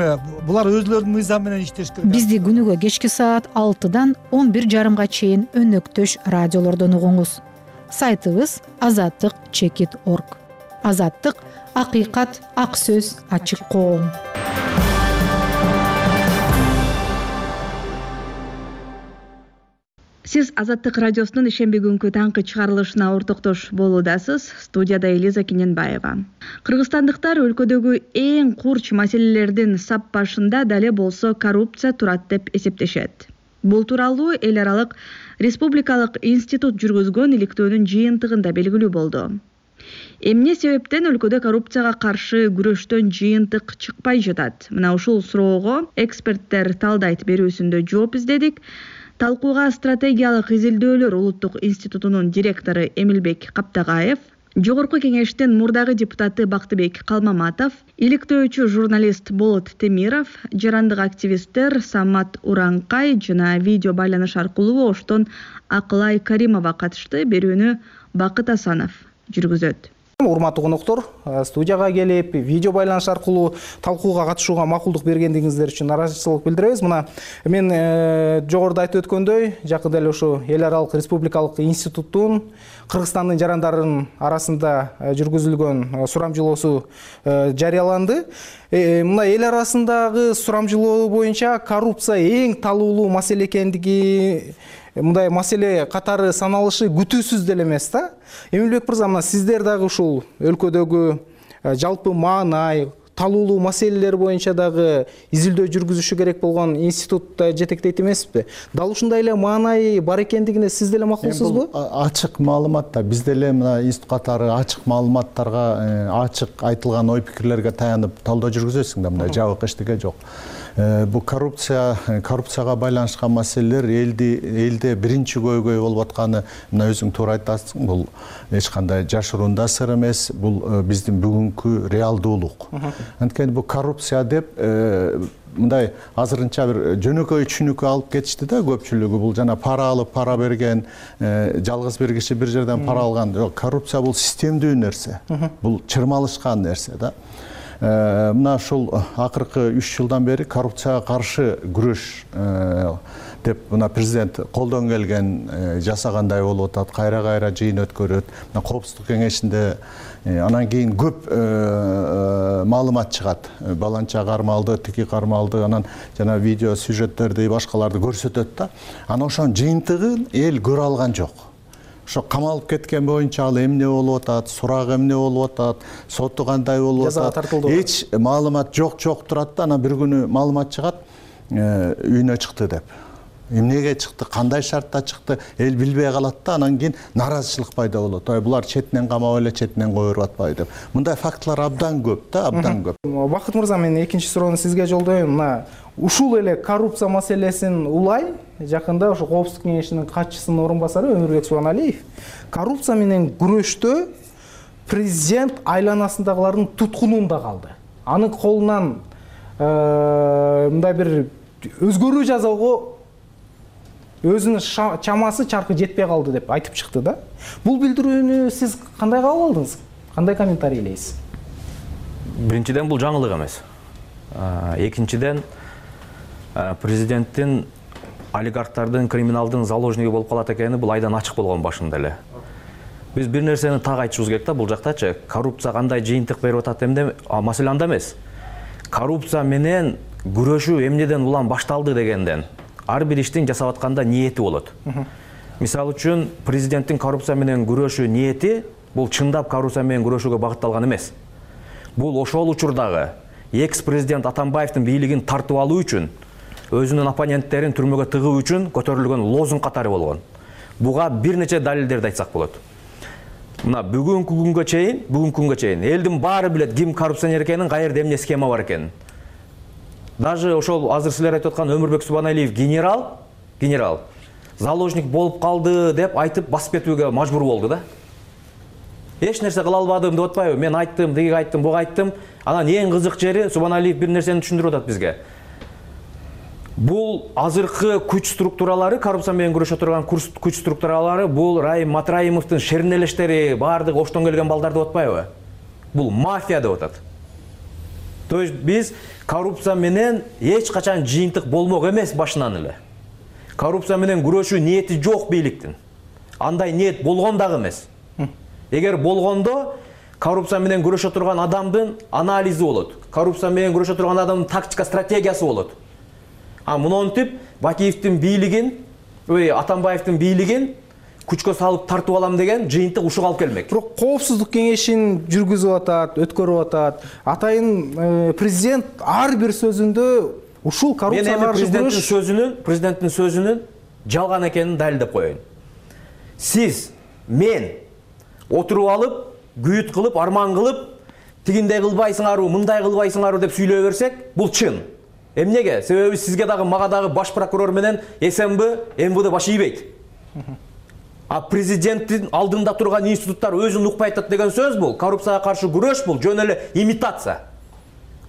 булар өзлөрүнүн мыйзамы менен иштеш керек. Бизди күнүгө кечки саат алтыдан он бир жарымга чейин өнөктөш радиолордон угуңуз. Сайтыбыз азаттык чекит точка орг. Азаттык — акыйкат, ак сөз, ачык коом. Сиз Азаттык радиосунун ишемби күнкү таңкы чыгарылышына ортоктош болуудасыз. Студияда Элиза Кененбаева. Кыргызстандыктар өлкөдөгү эң курч маселелердин сап башында дале болсо коррупция турат деп эсептешет. Бул тууралуу эл аралык республикалык институт жүргүзгөн иликтөөнүн жыйынтыгында белгилүү болду. Эмне себептен өлкөдө коррупцияга каршы күрөштөн жыйынтык чыкпай жатат? Мына ушул суроого эксперттер талдайт берүүсүндө жооп издедик. Талкууга стратегиялык изилдөөлөр улуттук институтунун директору Эмилбек Каптагаев, Жогорку кеңештин мурдагы депутаты Бактыбек Калмаматов, иликтөөчү журналист Болот Темиров, жарандык активисттер Самат Уранкай жана видео байланыш аркылуу оштон Акылай Каримова катышты. Берүүнү Бакыт Асанов жүргүзөт. Урматтуу коноктор, студияга келип, видео байланыш аркылуу талкууга катышууга макулдук бергендиңиздер үчүн ыраазычылык билдиребиз. Мына мен жогоруда айтып өткөндөй, жакында эле ушу эл аралык республикалык институттун Кыргызстандын жарандарын арасында жүргүзүлгөн сурамжылоосу жарыяланды. Мына эл арасындагы сурамжылоо боюнча коррупция эң талуулуу маселе экендиги, мындай маселе катары саналышы күтүүсүз деле эмес да. Эмилбек мырза, мына сиздер дагы ушул өлкөдөгү жалпы маанай, талуулуу маселелер боюнча дагы изилдөө жүргүзүшү керек болгон институтта жетектейт эмеспи? Дал ушундай эле маанай бар экендигине сиз деле макулсузбу? Ачык маалымат да. Биз деле мына институт катары ачык маалыматтарга, ачык айтылган ой пикирлерге таянып талдоо жүргүзөсүң да, мындай жабык эчтеке жок. Бул коррупция, коррупцияга байланышкан маселелер элди элде биринчи көйгөй болуп атканы, мына өзүң туура айтасың, бул эч кандай жашыруун да сыр эмес, бул биздин бүгүнкү реалдуулук. Анткени бул коррупция деп мындай азырынча бир жөнөкөй түшүнүккө алып кетишти да көпчүлүгү. Бул жана пара алып, пара берген, жалгыз бир киши бир жерден пара алган. Жок, коррупция бул системдүү нерсе. Бул чырмалышкан нерсе да. Мына ушул акыркы үч жылдан бери коррупцияга каршы күрөш деп мына президент колдон келген жасагандай болуп атат, кайра-кайра жыйын өткөрөт. Мына Коопсуздук кеңешинде анан кийин көп маалымат чыгат. Баланча кармалды, тики кармалды, анан жана видео сюжеттерди, башкаларды көрсөтөт да. Анан ошонун жыйынтыгын эл көрө алган жок. Ошо камалып кеткен боюнча ал эмне болуп атат, сурак эмне болуп атат, соту кандай болуп атат, эч маалымат жок жок турат да. Анан бир күнү маалымат чыгат, үйүнө чыкты деп. Эмнеге чыкты, кандай шартта чыкты, эл билбей калат да. Анан кийин наразычылык пайда болот. Ой, булар четинен камап эле, четинен кое берип атпайбы деп. Мындай фактылар абдан көп да, абдан көп. Бакыт мырза, мен экинчи суроону сизге жолдойм. Мына ушул эле коррупция маселесин улай жакында ошо Коопсуздук кеңешинин катчысынын орун басары Өмүрбек Субаналиев коррупция менен күрөштө президент айланасындагылардын туткунунда калды. Анын колунан мындай бир өзгөрүү жасоого өзүнүн чамасы чаркы жетпей калды деп айтып чыкты да. Бул билдирүүнү сиз кандай кабыл алдыңыз? Кандай комментарийлейсиз? Биринчиден бул жаңылык эмес. Экинчиден президенттин олигархтардын, криминалдын заложниги болуп калат экени бул айдан ачык болгон башында эле. Биз бир нерсени так айтышыбыз керек да, бул жактачы коррупция кандай жыйынтык берип атат эмне маселе анда эмес. Коррупция менен күрөшүү эмнеден улам башталды дегенден ар бир иштин жасап атканда ниети болот. Мисалы үчүн президенттин коррупция менен күрөшүү ниети бул чындап коррупция менен күрөшүүгө багытталган эмес. Бул ошол учурдагы экс-президент Атамбаевдин бийлигин тартып алуу үчүн, өзүнүн оппоненттерин түрмөгө тыгуу үчүн көтөрүлгөн лозунг катары болгон. Буга бир нече далилдерди айтсак болот. Мына бүгүнкү күнгө чейин, бүгүнкү күнгө чейин элдин баары билет ким коррупционер экенин, каерде эмне схема бар экенин. Даже ошол азыр силер айтып аткан Өмүрбек Субаналиев генерал, генерал заложник болуп калды деп айтып басып кетүүгө мажбур болду да. Эч нерсе кыла албадым деп атпайбы? Мен айттым, тиги айттым, буга айттым. Анан эң кызык жери Субаналиев бир нерсени түшүндүрүп атат бизге. Бул азыркы күч структуралары, коррупция менен күрөшө турган күч структуралары, бул Райым Матраимовдун шернелештери, баардыгы оштон келген балдар деп атпайбы? Бул мафия деп атат. То есть биз коррупция менен эч качан жыйынтык болмок эмес башынан эле. Коррупция менен күрөшүү ниети жок бийликтин. Андай ниет болгон дагы эмес. Эгер болгондо коррупция менен күрөшө турган адамдын анализи болот. Коррупция менен күрөшө турган адамдын тактика, стратегиясы болот. А мынтип Бакиевдин бийлигин, ой, Атамбаевдин бийлигин күчкө салып тартып алам деген жыйынтык ушуга алып келмек. Бирок Коопсуздук кеңешин жүргүзүп атат, өткөрүп атат. Атайын президент ар бир сөзүндө ушул коррупцияга каршы күрөш сөзүнүн, президенттин сөзүнүн жалган экенин далилдеп коеюн. Сиз, мен отуруп алып, күйүт кылып, арман кылып, тигиндей кылбайсыңарбы, мындай кылбайсыңарбы деп сүйлөй берсек, бул чын. Эмнеге? Себеби сизге дагы, мага дагы баш прокурор менен СМБ, МВД баш ийбейт. А президенттин алдында турган институттар өзүн укпай атат деген сөз бул. Коррупцияга каршы күрөш бул жөн эле имитация.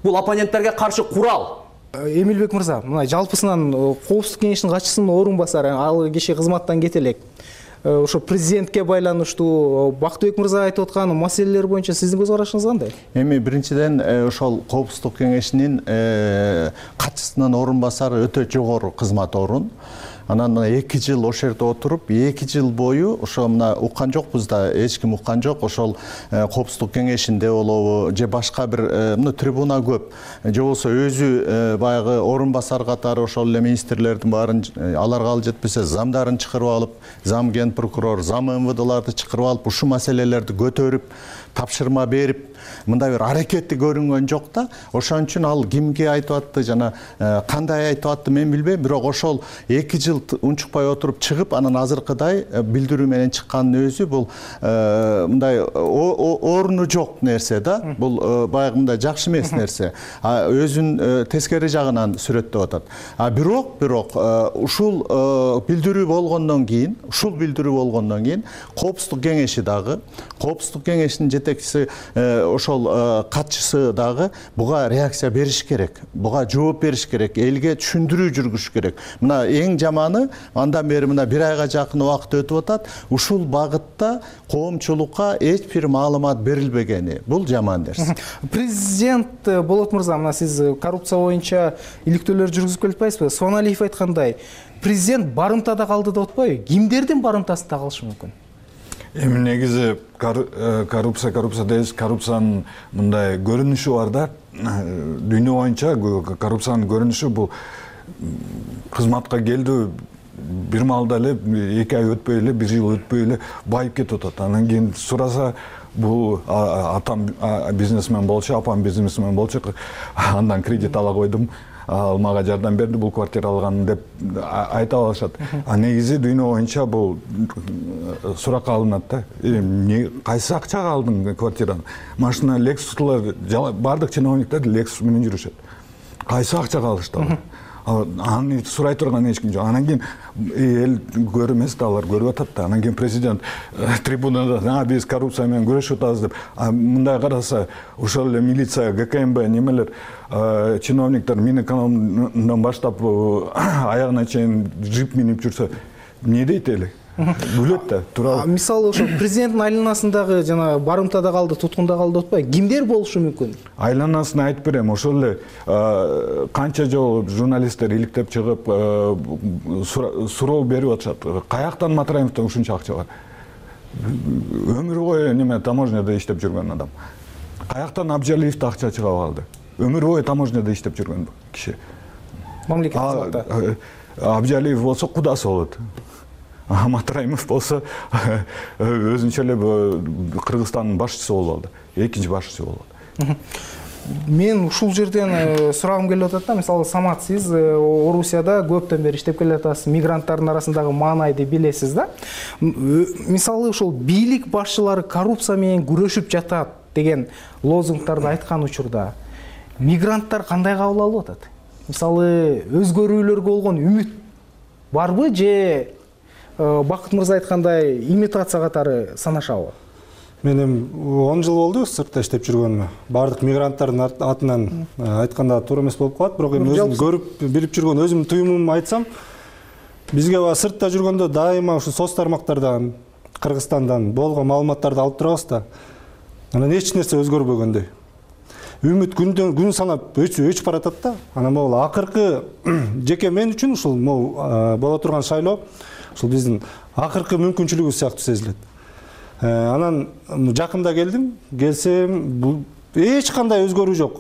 Бул оппоненттерге каршы курал. Эмилбек мырза, мына жалпысынан Коопсуздук кеңешинин катчысынын орун басары, ал киши кызматтан кете элек. Ошо президентке байланыштуу Бактыбек мырза айтып аткан маселелер боюнча сиздин көз карашыңыз кандай? Эми биринчиден ошол Коопсуздук кеңешинин катчысынын орун басары өтө жогору кызмат орун. Анан мына эки жыл ошол жерде отуруп, эки жыл бою ошо мына уккан жокпуз да, эч ким уккан жок. Ошол Коопсуздук кеңешинде болобу, же башка бир мына трибуна көп. Же болбосо өзү баягы орун басар катары ошол эле министрлердин баарын аларга ал жетпесе замдарын чакырып алып, зам ген прокурор, зам эм вэ дэларды чакырып алып, ушул маселелерди көтөрүп, тапшырма берип, мындай бир аракети көрүнгөн жок да. Ошон үчүн ал кимге айтып атты, жана кандай айтып атты мен билбейм, бирок ошол эки жыл унчукпай отуруп чыгып, анан азыркыдай билдирүү менен чыккандын өзү бул мындай оруну жок нерсе да. Бул баягы мындай жакшы эмес нерсе. Өзүн тескери жагынан сүрөттөп атат. А бирок, бирок ушул билдирүү болгондон кийин, ушул билдирүү болгондон кийин Коопсуздук кеңеши дагы, Коопсуздук кеңешинин жетекчиси ошол катчысы дагы буга реакция бериш керек, буга жооп бериш керек, элге түшүндүрүү жүргүзүш керек. Мына эң жаманы андан бери мына бир айга жакын убакыт өтүп атат, ушул багытта коомчулукка эч бир маалымат берилбегени. Бул жаман нерсе. Президент Болот мырза, мына сиз коррупция боюнча иликтөөлөр жүргүзүп келатпайсызбы? Суаналиев айткандай, президент барымтада калды деп атпайбы? Кимдердин барымтасында калышы мүмкүн? Эми негизи коррупция коррупция дейбиз, коррупциянын мындай көрүнүшү бар да. Дүйнө боюнча коррупциянын көрүнүшү бул кызматка келди, бир маалда эле эки ай өтпөй эле, бир жыл өтпөй эле байып кетип атат. Анан кийин сураса, бул атам бизнесмен болчу, апам бизнесмен болчу, андан кредит ала койдум, ал мага жардам берди, бул квартира алган деп айта алышат. А негизи дүйнө боюнча бул суракка алынат да. Кайсы акчага алдың квартираны? Машина Lexus'лар, бардык чиновниктер Lexus менен жүрүшөт. Кайсы акчага алышты? Аны сурай турган эч ким жок. Анан кийин эл көрүмөс да, алар көрүп атат да. Анан кийин президент трибунада биз коррупция менен күрөшүп атабыз деп, мындай караса, ошол эле милиция, гэ ка эм бэ немелер, чиновниктер Минэкономдон баштап аягына чейин джип минип жүрсө, эмне дейт эле? Бүлөт да, туурабы? Мисалы ошо президенттин айланасындагы жана барымтада калды, туткунда калды деп атпайбы? Кимдер болушу мүмкүн? Айланасын айтып берем. Ошол эле канча жолу журналисттер иликтеп чыгып суроо берип атышат. Каяктан Матраимовдон ушунча акча бар? Өмүр бою неме таможняда иштеп жүргөн адам. Каяктан Абжалиевде акча чыгып алды? Өмүр бою таможняда иштеп жүргөн киши. Мамлекеттик. Абжалиев болсо кудасы болот. Матраимов болсо өзүнчө эле Кыргызстандын башчысы болуп алды. Экинчи башчысы болуп алды. Мен ушул жерден сурагым келип атат да, мисалы Самат, сиз Орусияда көптөн бери иштеп келатасыз, мигранттардын арасындагы маанайды билесиз да. Мисалы ушул бийлик башчылары коррупция менен күрөшүп жатат деген лозунгтарды айткан учурда мигранттар кандай кабыл алып атат? Мисалы өзгөрүүлөргө болгон үмүт барбы же Бакыт мырза айткандай имитация катары санашабы? Мен эми он жыл болду сыртта иштеп жүргөнүмө. Бардык мигранттардын атынан айтканда туура эмес болуп калат, бирок эми өзүм көрүп билип жүргөн өзүмдүн туюмумду айтсам, бизге сыртта жүргөндө дайыма ушу соц тармактардан, Кыргызстандан болгон маалыматтарды алып турабыз да. Анан эч нерсе өзгөрбөгөндөй. Үмүт күндөн күн санап өчүп баратат да. Анан могул акыркы жеке мен үчүн ушул боло турган шайлоо ушул биздин акыркы мүмкүнчүлүгүбүз сыяктуу сезилет. Анан жакында келдим, келсем бул эч кандай өзгөрүү жок.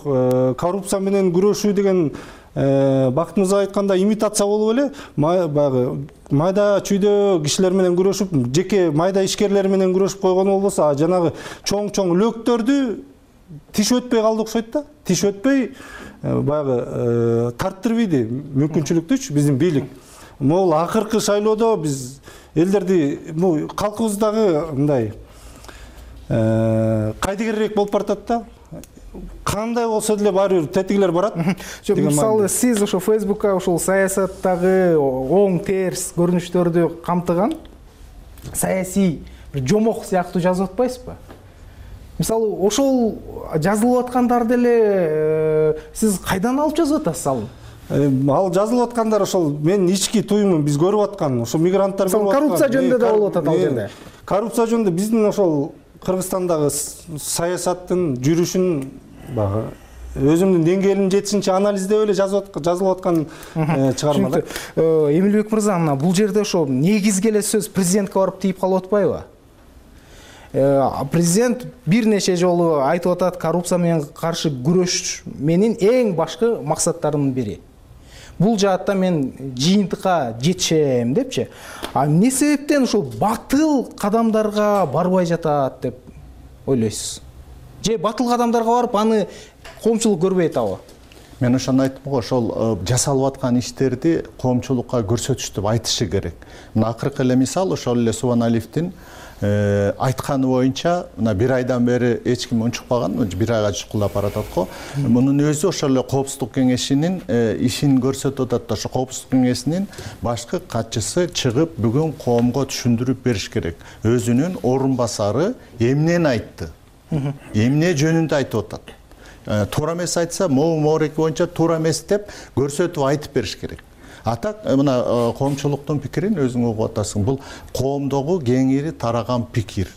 Коррупция менен күрөшүү деген Бакыт мырза айткандай имитация болуп эле, баягы майда чүйдө кишилер менен күрөшүп, жеке майда ишкерлер менен күрөшүп койгону болбосо, жанагы чоң-чоң löктөрдү тиш өтпөй калды окшойт да. Тиш өтпөй баягы тарттырбайды мүмкүнчүлүктүчү биздин бийлик. Могул акыркы шайлоодо биз элдерди, калкыбыздагы мындай кайдыгерирээк болуп баратат да. Кандай болсо деле баары бир тетигилер барат. Мисалы сиз ошо Фейсбукка ушул саясаттагы оң терс көрүнүштөрдү камтыган саясий бир жомок сыяктуу жазып атпайсызбы? Мисалы, ошол жазылып аткандар деле сиз кайдан алып жазып атасыз ал? Ал жазылып аткандар ошол менин ички туюмум, биз көрүп аткан, ошол мигранттар көрүп аткан. Коррупция жөнүндө да болуп атат ал жерде. Коррупция жөнүндө биздин ошол Кыргызстандагы саясаттын жүрүшүн баягы өзүмдүн деңгээлим жетишинче анализдеп эле жазылып аткан чыгарма да. Эмилбек мырза, мына бул жерде ошо негизги эле сөз президентке барып тийип калып атпайбы? Президент бир нече жолу айтып атат, коррупция менен каршы күрөш менин эң башкы максаттарымдын бири. Бул жаатта мен жыйынтыкка жетишем депчи. А эмне себептен ошол батыл кадамдарга барбай жатат деп ойлойсуз? Же батыл кадамдарга барып аны коомчулук көрбөй атабы? Мен ошону айттым го, ошол жасалып аткан иштерди коомчулукка көрсөтүштүп айтышы керек. Мына акыркы эле мисал ошол эле Субаналиевдин айтканы боюнча, мына бир айдан бери эч ким унчукпаган, бир айга чукулдап баратат го. Мунун өзү ошол эле Коопсуздук кеңешинин ишин көрсөтүп атат да, ошо Коопсуздук кеңешинин башкы катчысы чыгып бүгүн коомго түшүндүрүп бериш керек. Өзүнүн орун басары эмнени айтты? Эмне жөнүндө айтып атат? Туура эмес айтса, могу мореки боюнча туура эмес деп көрсөтүп айтып бериш керек. Атак мына коомчулуктун пикирин өзүң угуп атасың. Бул коомдогу кеңири тараган пикир.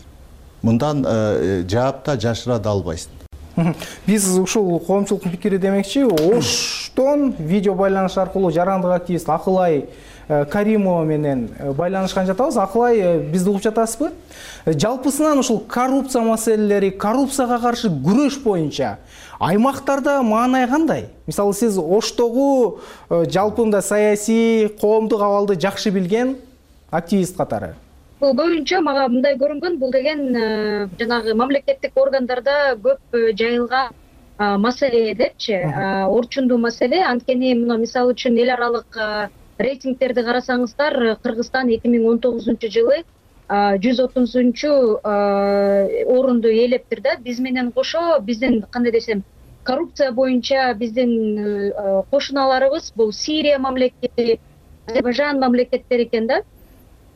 Мындан жаап да жашыра да албайсың. Биз ушул коомчулуктун пикири демекчи, Оштон видео байланыш аркылуу жарандык активист Акылай Каримова менен байланышкан жатабыз. Акылай, бизди угуп жатасызбы? Жалпысынан ушул коррупция маселелери, коррупцияга каршы күрөш боюнча аймактарда маанай кандай? Мисалы, сиз Оштогу жалпында саясий, коомдук абалды жакшы билген активист катары. Бул көбүнчө мага мындай көрүнгөн, бул деген жанагы мамлекеттик органдарда көп жайылган маселе депчи, орчундуу маселе. Анткени мына мисалы үчүн эл аралык рейтингтерди карасаңыздар, Кыргызстан эки миң он тогузунчу жылы жүз отузунчу орунду ээлептир да. Биз менен кошо биздин кандай десем, коррупция боюнча биздин кошуналарыбыз бул Сирия мамлекети, Азербайжан мамлекеттери экен да.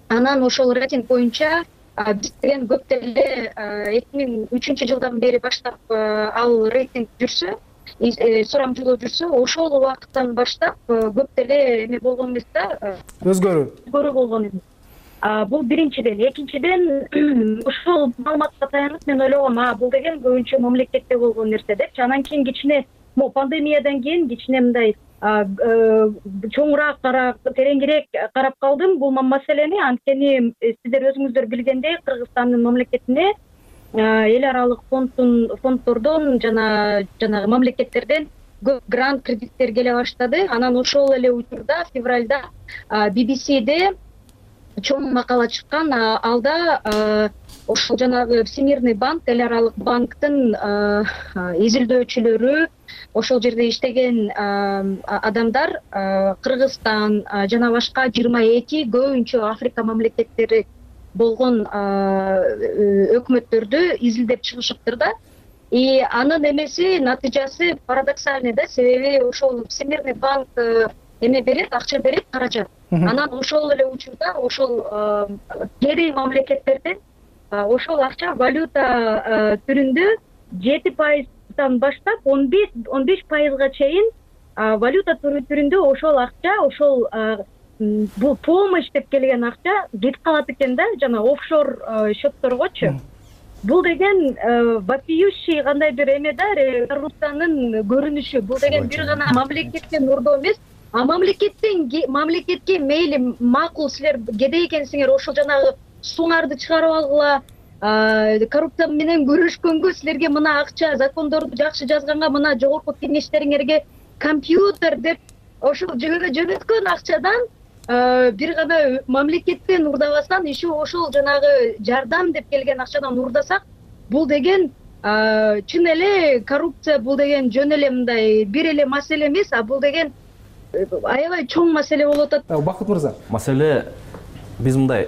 Анан ошол рейтинг боюнча биз деген көп деле эки миң үчүнчү жылдан бери баштап ал рейтинг жүрсө, сурамжылоо жүрсө, ошол убакыттан баштап көп деле эме болгон эмес да. Өзгөрүү. Өзгөрүү болгон эмес. Бул биринчиден. Экинчиден, ушул маалыматка таянып мен ойлогом, а бул деген көбүнчө мамлекетте болгон нерсе депчи. Анан кийин кичине пандемиядан кийин кичине мындай чоңураак карап, тереңирээк карап калдым бул маселени. Анткени сиздер өзүңүздөр билгендей, Кыргызстандын мамлекетине эл аралык фонддун фонддордон жана жанагы мамлекеттерден көп грант кредиттер келе баштады. Анан ошол эле учурда февралда би би сиде чоң макала чыккан. Алда ошол жанагы Всемирный банк, эл аралык банктын изилдөөчүлөрү, ошол жерде иштеген адамдар Кыргызстан жана башка жыйырма эки көбүнчө Африка мамлекеттери болгон өкмөттөрдү изилдеп чыгышыптыр да. И анын эмеси, натыйжасы парадоксальный да, себеби ошол Всемирный банк эме берет, акча берет, каражат. Анан ошол эле учурда ошол кери мамлекеттерден ошол акча валюта түрүндө жети пайыздан баштап он беш пайызга чейин валюта түрүндө ошол акча, ошол бул помощь деп келген акча кетип калат экен да, жана офшор счетторгочу. Бул деген вопиющий кандай бир эме да, коррупциянын көрүнүшү. Бул деген бир гана мамлекетке нурдоо эмес, а мамлекеттен мамлекетке мейли макул силер кедей экенсиңер, ошол жанагы суңарды чыгарып алгыла, коррупция менен көрүшкөнгө, силерге мына акча, закондорду жакшы жазганга мына жогорку кеңештериңерге компьютер деп ошол жөнөткөн акчадан бир гана мамлекеттен урдабастан, еще ошол жанагы жардам деп келген акчадан урдасак, бул деген чын эле коррупция, бул деген жөн эле мындай бир эле маселе эмес, а бул деген аябай чоң маселе болуп атат. Бакыт мырза. Маселе биз мындай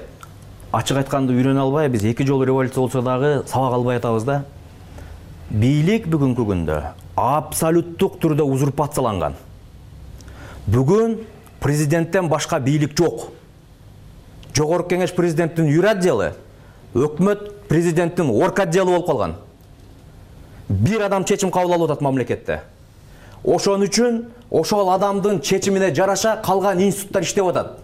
ачык айтканды үйрөнө албай, биз эки жолу революция болсо дагы сабак албай атабыз да. Бийлик бүгүнкү күндө абсолюттук түрдө узурпацияланган. Бүгүн президенттен башка бийлик жок. Жогорку кеңеш президенттин юр отделы, өкмөт президенттин орг отделы болуп калган. Бир адам чечим кабыл алып атат мамлекетте. Ошон үчүн ошол адамдын чечимине жараша калган институттар иштеп атат.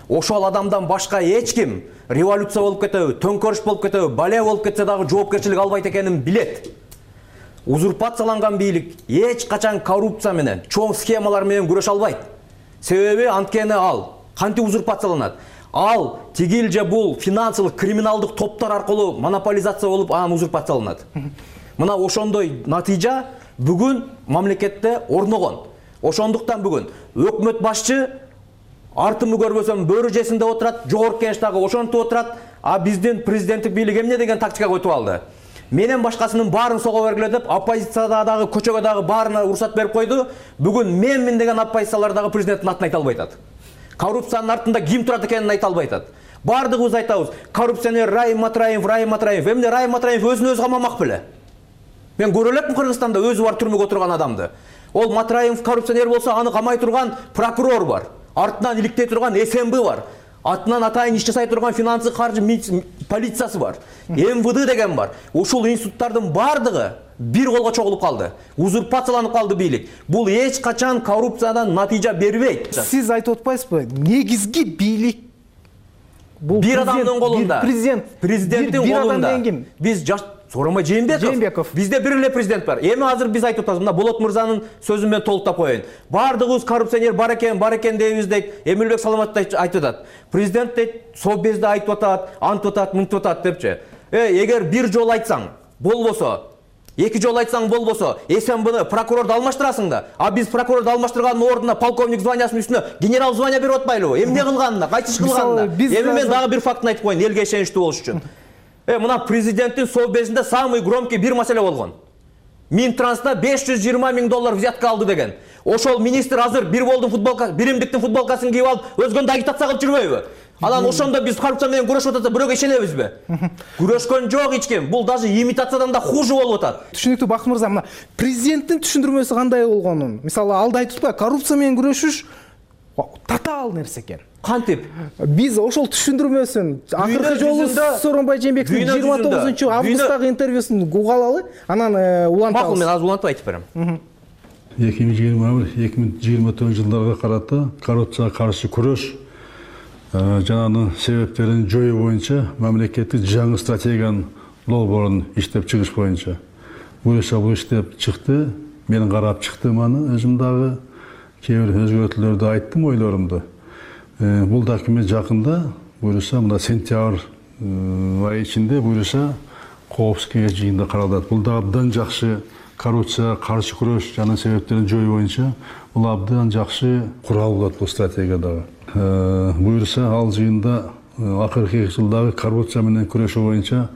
Ошол адамдан башка эч ким революция болуп кетеби, төңкөрүш болуп кетеби, бале болуп кетсе дагы жоопкерчилик албайт экенин билет. Узурпацияланган бийлик эч качан коррупция менен, чоң схемалар менен күрөшө албайт. Себеби анткени ал кантип узурпацияланат? Ал тигил же бул финансылык криминалдык топтор аркылуу монополизация болуп анан узурпацияланат. Мына ошондой натыйжа бүгүн мамлекетте орногон. Ошондуктан бүгүн өкмөт башчы артымды көрбөсөм бөрү жесинде отурат, жогорку кеңеш дагы ошентип отурат, а биздин президенттик бийлик эмне деген тактикага өтүп алды. Менен башкасынын баарын сого бергиле деп, оппозицияда дагы, көчөгө дагы баарына уруксат берип койду. Бүгүн менмин деген оппозициялар дагы президенттин атын айта албай атат. Коррупциянын артында ким турат экенин айта албай атат. Бардыгыбыз айтабыз, коррупционер Райым Матраев, Райым Матраев. Эмне Райым Матраев өзүн өзү камамак беле? Мен көрө элекмин Кыргызстанда өзү бар түрмөгө отурган адамды. Ол Матраев коррупционер болсо, аны камай турган прокурор бар. Артынан иликтей турган эс эм бэ бар. Атынан атайын иш жасай турган финансы каржы полициясы бар. эм вэ дэ деген бар. Ушул институттардын бардыгы бир колго чогулуп калды. Узурпацияланып калды бийлик. Бул эч качан коррупциядан натыйжа бербейт. Сиз айтып атпайсызбы? Негизги бийлик бул бир адамдын колунда. Президент. Президенттин колунда. Биз жаш Сооронбай Жээнбеков. Бизде бир эле президент бар. Эми азыр биз айтып атабыз, мына Болот мырзанын сөзүн мен толуктап коеюн. Бардыгыбыз коррупционер бар экен, бар экен дейбиз дейт. Эмилбек Саламатов айтып атат. Президент дейт, Совбезде айтып атат, антып атат, мынтып атат депчи. Э, эгер бир жолу айтсаң, болбосо, эки жолу айтсаң болбосо, эс эм бэ прокурорду алмаштырасың да. А биз прокурорду алмаштыргандын ордуна полковник званиясынын үстүнө генерал звания берип атпайлыбы? Эмне кылганына, кайсы иш кылганына? Эми мен дагы бир фактын айтып коеюн, элге ишеничтүү болуш үчүн. Э, мына президенттин совбезинде самый громкий бир маселе болгон. Минтранста беш жүз жыйырма миң доллар взятка алды деген. Ошол министр азыр бир болдун футболка, биримдиктин футболкасын кийип алып, өзгөндү агитация кылып жүрбөйбү? Анан ошондо биз коррупция менен күрөшүп атат, бирөөгө ишенебизби? Күрөшкөн жок эч ким. Бул даже имитациядан да хуже болуп атат. Түшүнүктүү Бакыт мырза, мына президенттин түшүндүрмөсү кандай болгонун, мисалы алда айтыппы, коррупция менен күрөшүш татаал нерсе экен. Кантип? Биз ошол түшүндүрмөсүн акыркы жолу Сооронбай Жээнбековдун жыйырма тогузунчу августтагы интервьюсун угуп алалы, анан улантабыз. Макул, мен азыр улантып айтып берем. эки миң жыйырма бир эки миң жыйырма тогузунчу жылдарга карата коррупцияга каршы күрөш жанагынын себептерин жоюу боюнча мамлекеттик жаңы стратегиянын долбоорун иштеп чыгыш боюнча буюрса бул иштеп чыкты. Мен карап чыктым аны, өзүм дагы кээ бир өзгөртүүлөрдү айттым, ойлорумду. Бул документ жакында буюрса мына сентябрь айы ичинде буюрса коопсуздук кеңеш жыйынында каралат. Бул да абдан жакшы коррупцияга каршы күрөш жана себептерин жоюу боюнча бул абдан жакшы курал болот бул стратегиядагы. Буюрса ал жыйында акыркы эки жылдагы коррупция менен күрөшүү боюнча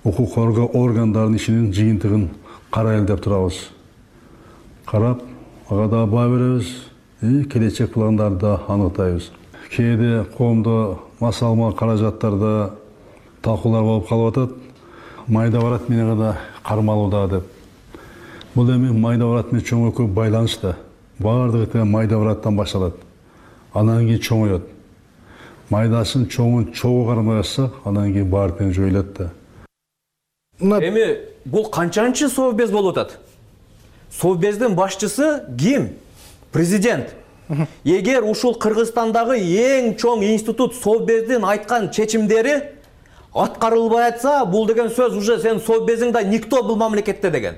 укук органдарынын ишинин жыйынтыгын карайлы деп турабыз. Карап, ага да баа беребиз, келечек пландарды да аныктайбыз. Кээде коомдо масалма каражаттарда талкуулар болуп калып атат. Майда барат менен да кармалууда деп. Бул эми майда барат менен чоңойгө байланыштуу. Баардыгы тең майда бараттан башталат. Анан кийин чоңоет. Майдасын чоңун чогуу кармай атсак, анан кийин баары тең жоюлат да. Эми бул канчанчы совбез болуп атат? Совбездин башчысы ким? Президент. Эгер ушул Кыргызстандагы эң чоң институт совбездин айткан чечимдери аткарылбай атса, бул деген сөз уже сен совбезиң да никто бул мамлекетте деген.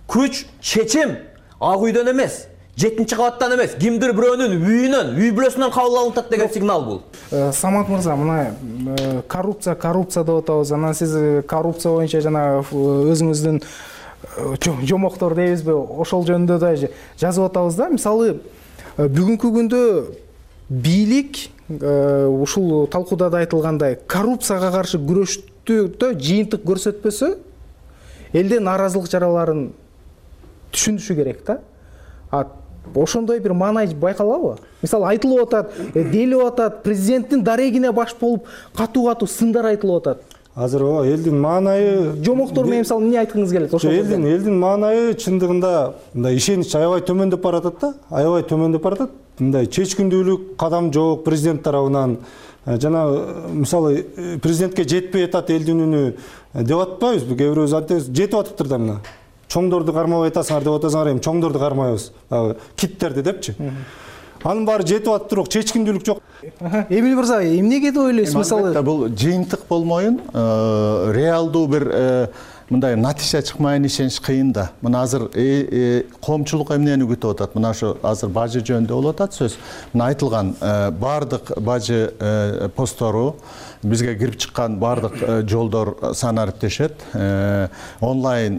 Күч, чечим ак үйдөн эмес, жетинчи кабаттан эмес, кимдир бирөөнүн үйүнөн, үй бүлөсүнөн кабыл алынып атат деген сигнал бул. Самат мырза, мына коррупция, коррупция деп атабыз. Анан сиз коррупция боюнча жана өзүңүздүн жомоктор дейбизби, ошол жөнүндө да жазып атабыз да. Мисалы, бүгүнкү күндө бийлик ушул талкууда да айтылгандай коррупцияга каршы күрөштү жыйынтык көрсөтпөсө, элден нааразылык чараларын түшүнүшү керек да. А ошондой бир маанай байкалабы? Мисалы, айтылып атат, делип атат, президенттин дарегине баш болуп катуу-катуу сындар айтылып атат. Азыр элдин маанайы жомоктор менен мисалы эмне айткыңыз келет? Ошол элдин элдин маанайы чындыгында мындай ишенич аябай төмөндөп баратат да, аябай төмөндөп баратат. мындай чечкиндүүлүк кадам жок президент тарабынан. Жана мисалы президентке жетпей атат элдин үнү деп атпайбызбы? Кээ бирөөбүз айтабыз, жетип атыптыр да мына. Чоңдорду кармабай атасыңар деп атасыңар, эми чоңдорду кармайбыз. Киттерди депчи. Анын баары жетип атып туруп, чечкиндүүлүк жок. Эмил мырза, эмнеге деп ойлойсуз? Мисалы, бул жыйынтык болмоюн, реалдуу бир мындай натыйжа чыкмайын ишениш кыйын да. Мына азыр коомчулук эмнени күтүп атат? Мына ошо азыр бажы жөнүндө болуп атат сөз. Мына айтылган баардык бажы посттору, бизге кирип чыккан баардык жолдор санариптешет, онлайн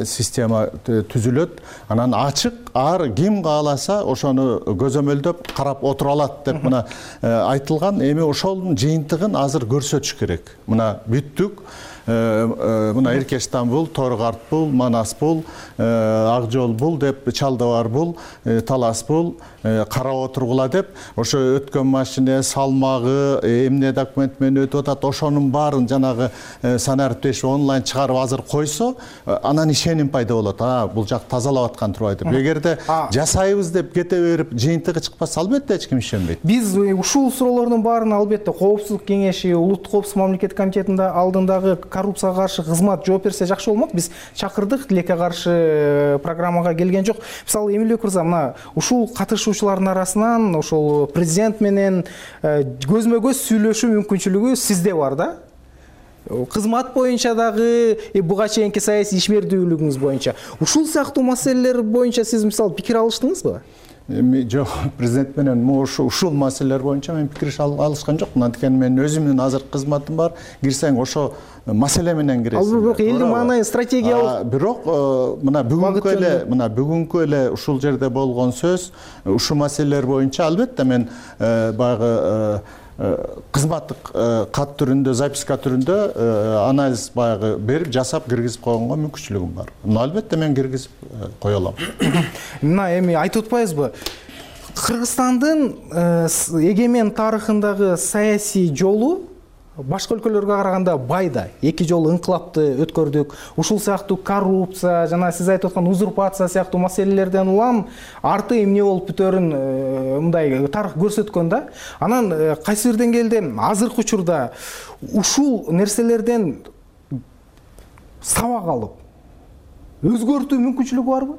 система түзүлөт, анан ачык, ар ким кааласа ошону көзөмөлдөп карап отура алат деп мына айтылган. Эми ошонун жыйынтыгын азыр көрсөтүш керек. Мына бүттүк. Мына Эркеш Стамбул, Торгарт бул, Манас бул, Ак жол бул деп, Чалдабар бул, Талас бул, карап отургула деп, ошо өткөн машина салмагы, эмне документ менен өтүп атат, ошонун баарын жанагы санариптешип онлайн чыгарып азыр койсо, анан ишеним пайда болот. А, бул жак тазалап аткан турбайт деп. Эгерде жасайбыз деп кете берип, жыйынтыгы чыкпаса, албетте эч ким ишенбейт. Биз ушул суроолордун баарын албетте Коопсуздук кеңеши, Улуттук коопсуздук мамлекет комитетинде алдындагы коррупцияга каршы кызмат жооп берсе жакшы болмок. Биз чакырдык, тилекке каршы программага келген жок. Мисалы, Эмилбек мырза, мына ушул катышуучулардын арасынан ошол президент менен көзмө-көз сүйлөшүү мүмкүнчүлүгү сизде бар да? Кызмат боюнча дагы, буга чейинки саясий ишмердүүлүгүңүз боюнча. Ушул сыяктуу маселелер боюнча сиз мисалы пикир алыштыңызбы? Эми жок, президент менен ушул маселелер боюнча мен пикир алышкан жокмун. Анткени менин өзүмдүн азыр кызматым бар. Кирсең ошо маселе менен киресиң. Ал бирок элдин маанайы стратегиялык. Бирок мына бүгүнкү эле, мына бүгүнкү эле ушул жерде болгон сөз, ушул маселелер боюнча албетте мен баягы кызматтык кат түрүндө, записка түрүндө анализ баягы берип, жасап киргизип койгонго мүмкүнчүлүгүм бар. Мына албетте мен киргизип кое алам. Мына эми айтып атпайбызбы? Кыргызстандын эгемен тарыхындагы саясий жолу башка өлкөлөргө караганда бай да. Эки жолу инкылапты өткөрдүк. Ушул сыяктуу коррупция, жана сиз айтып аткан узурпация сыяктуу маселелерден улам арты эмне болуп бүтөрүн мындай тарых көрсөткөн да. Анан кайсы бир деңгээлде азыркы учурда ушул нерселерден сабак алып өзгөртүү мүмкүнчүлүгү барбы?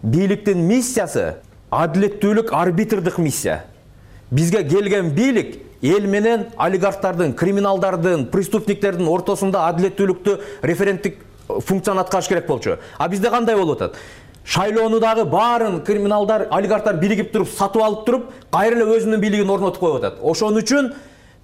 Бийликтин миссиясы адилеттүүлүк, арбитрдык миссия. Бизге келген бийлик эл менен олигархтардын, криминалдардын, преступниктердин ортосунда адилеттүүлүктү референттик функцияны аткарыш керек болчу. А бизде кандай болуп атат? Шайлоону дагы баарын криминалдар, олигархтар биригип туруп, сатып алып туруп, кайра эле өзүнүн бийлигин орнотуп коюп атат. Ошон үчүн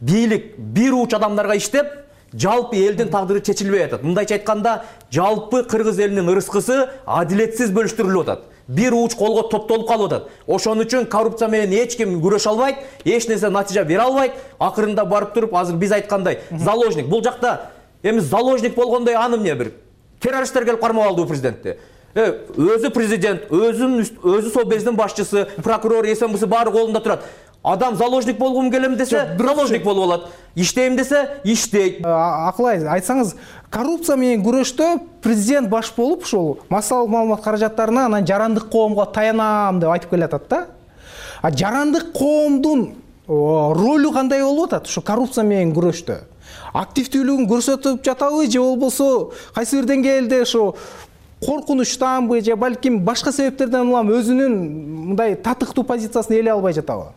бийлик бир уч адамдарга иштеп, жалпы элдин тагдыры чечилбей атат. Мындайча айтканда, жалпы кыргыз элинин ырыскысы адилетсиз бөлүштүрүлүп атат. Бир уч колго топтолуп калып атат. Ошон үчүн коррупция менен эч ким күрөшө албайт, эч нерсе натыйжа бере албайт. Акырында барып туруп, азыр биз айткандай, заложник. Бул жакта эми заложник болгондой аны эмне бир террористтер келип кармап алды президентти. Өзү президент, өзүн өзү сол бездин башчысы, прокурор, СМБсы баары колунда турат. Адам заложник болгум келем десе, заложник болуп алат. Иштейм десе, иштейт. Акылай айтсаңыз, коррупция менен күрөштө президент баш болуп ушул массалык маалымат каражаттарына анан жарандык коомго таянам деп айтып келатат да. А жарандык коомдун ролу кандай болуп атат ушу коррупция менен күрөштө? Активдүүлүгүн көрсөтүп жатабы же болбосо кайсы бир деңгээлде ошо коркунучтанбы же балким башка себептерден улам өзүнүн мындай татыктуу позициясын ээлей албай жатабы?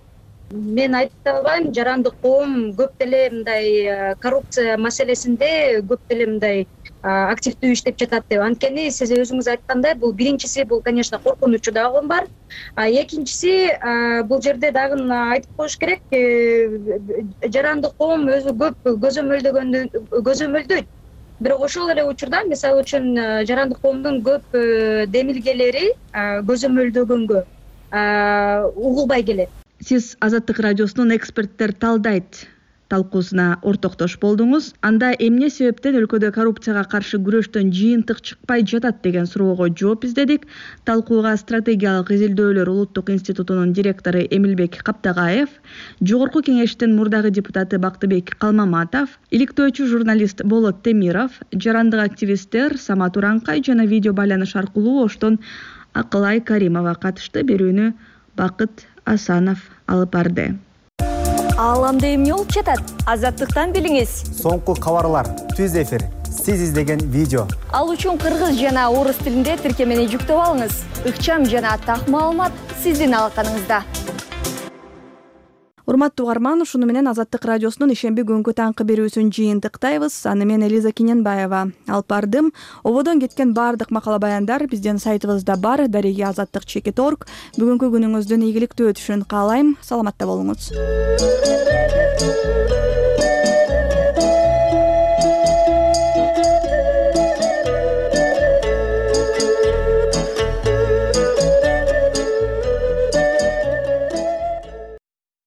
Мен айта албайм, жарандык коом көп деле мындай коррупция маселесинде көп деле мындай активдүү иштеп жатат деп. Анткени сиз өзүңүз айткандай, бул биринчиси бул, конечно, коркунучу дагы бар. А экинчиси бул жерде дагы айтып коюш керек, жарандык коом өзү көп көзөмөлдөгөндө көзөмөлдөйт. Бирок ошол эле учурда, мисалы үчүн, жарандык коомдун көп демилгелери көзөмөлдөгөнгө угулбай келет. Сиз Азаттык радиосунун эксперттер талдайт талкуусуна ортоктош болдуңуз. Анда эмне себептен өлкөдө коррупцияга каршы күрөштөн жыйынтык чыкпай жатат деген суроого жооп издедик. Талкууга стратегиялык изилдөөлөр Улуттук институтунун директору Эмилбек Каптагаев, Жогорку кеңештин мурдагы депутаты Бактыбек Калмаматов, иликтөөчү журналист Болот Темиров, жарандык активисттер Самат Уранкай жана видео байланыш аркылуу оштон Акылай Каримова катышты. Берүүнү Бакыт Асанов алып барды. Ааламда эмне болуп жатат? Азаттыктан билиңиз. Соңку кабарлар, түз эфир, сиз издеген видео. Ал үчүн кыргыз жана орус тилинде тиркемени жүктөп алыңыз. Ыкчам жана так маалымат сиздин алаканыңызда. Урматтуу угарман, ушуну менен Азаттык радиосунун ишемби күнгү таңкы берүүсүн жыйынтыктайбыз. Аны мен Элиза Киненбаева алып бардым. Ободон кеткен баардык макала баяндар биздин сайтыбызда бар, дареги азаттык чекит точка орг. Бүгүнкү күнүңүздүн ийгиликтүү өтүшүн каалайм. Саламатта болуңуз.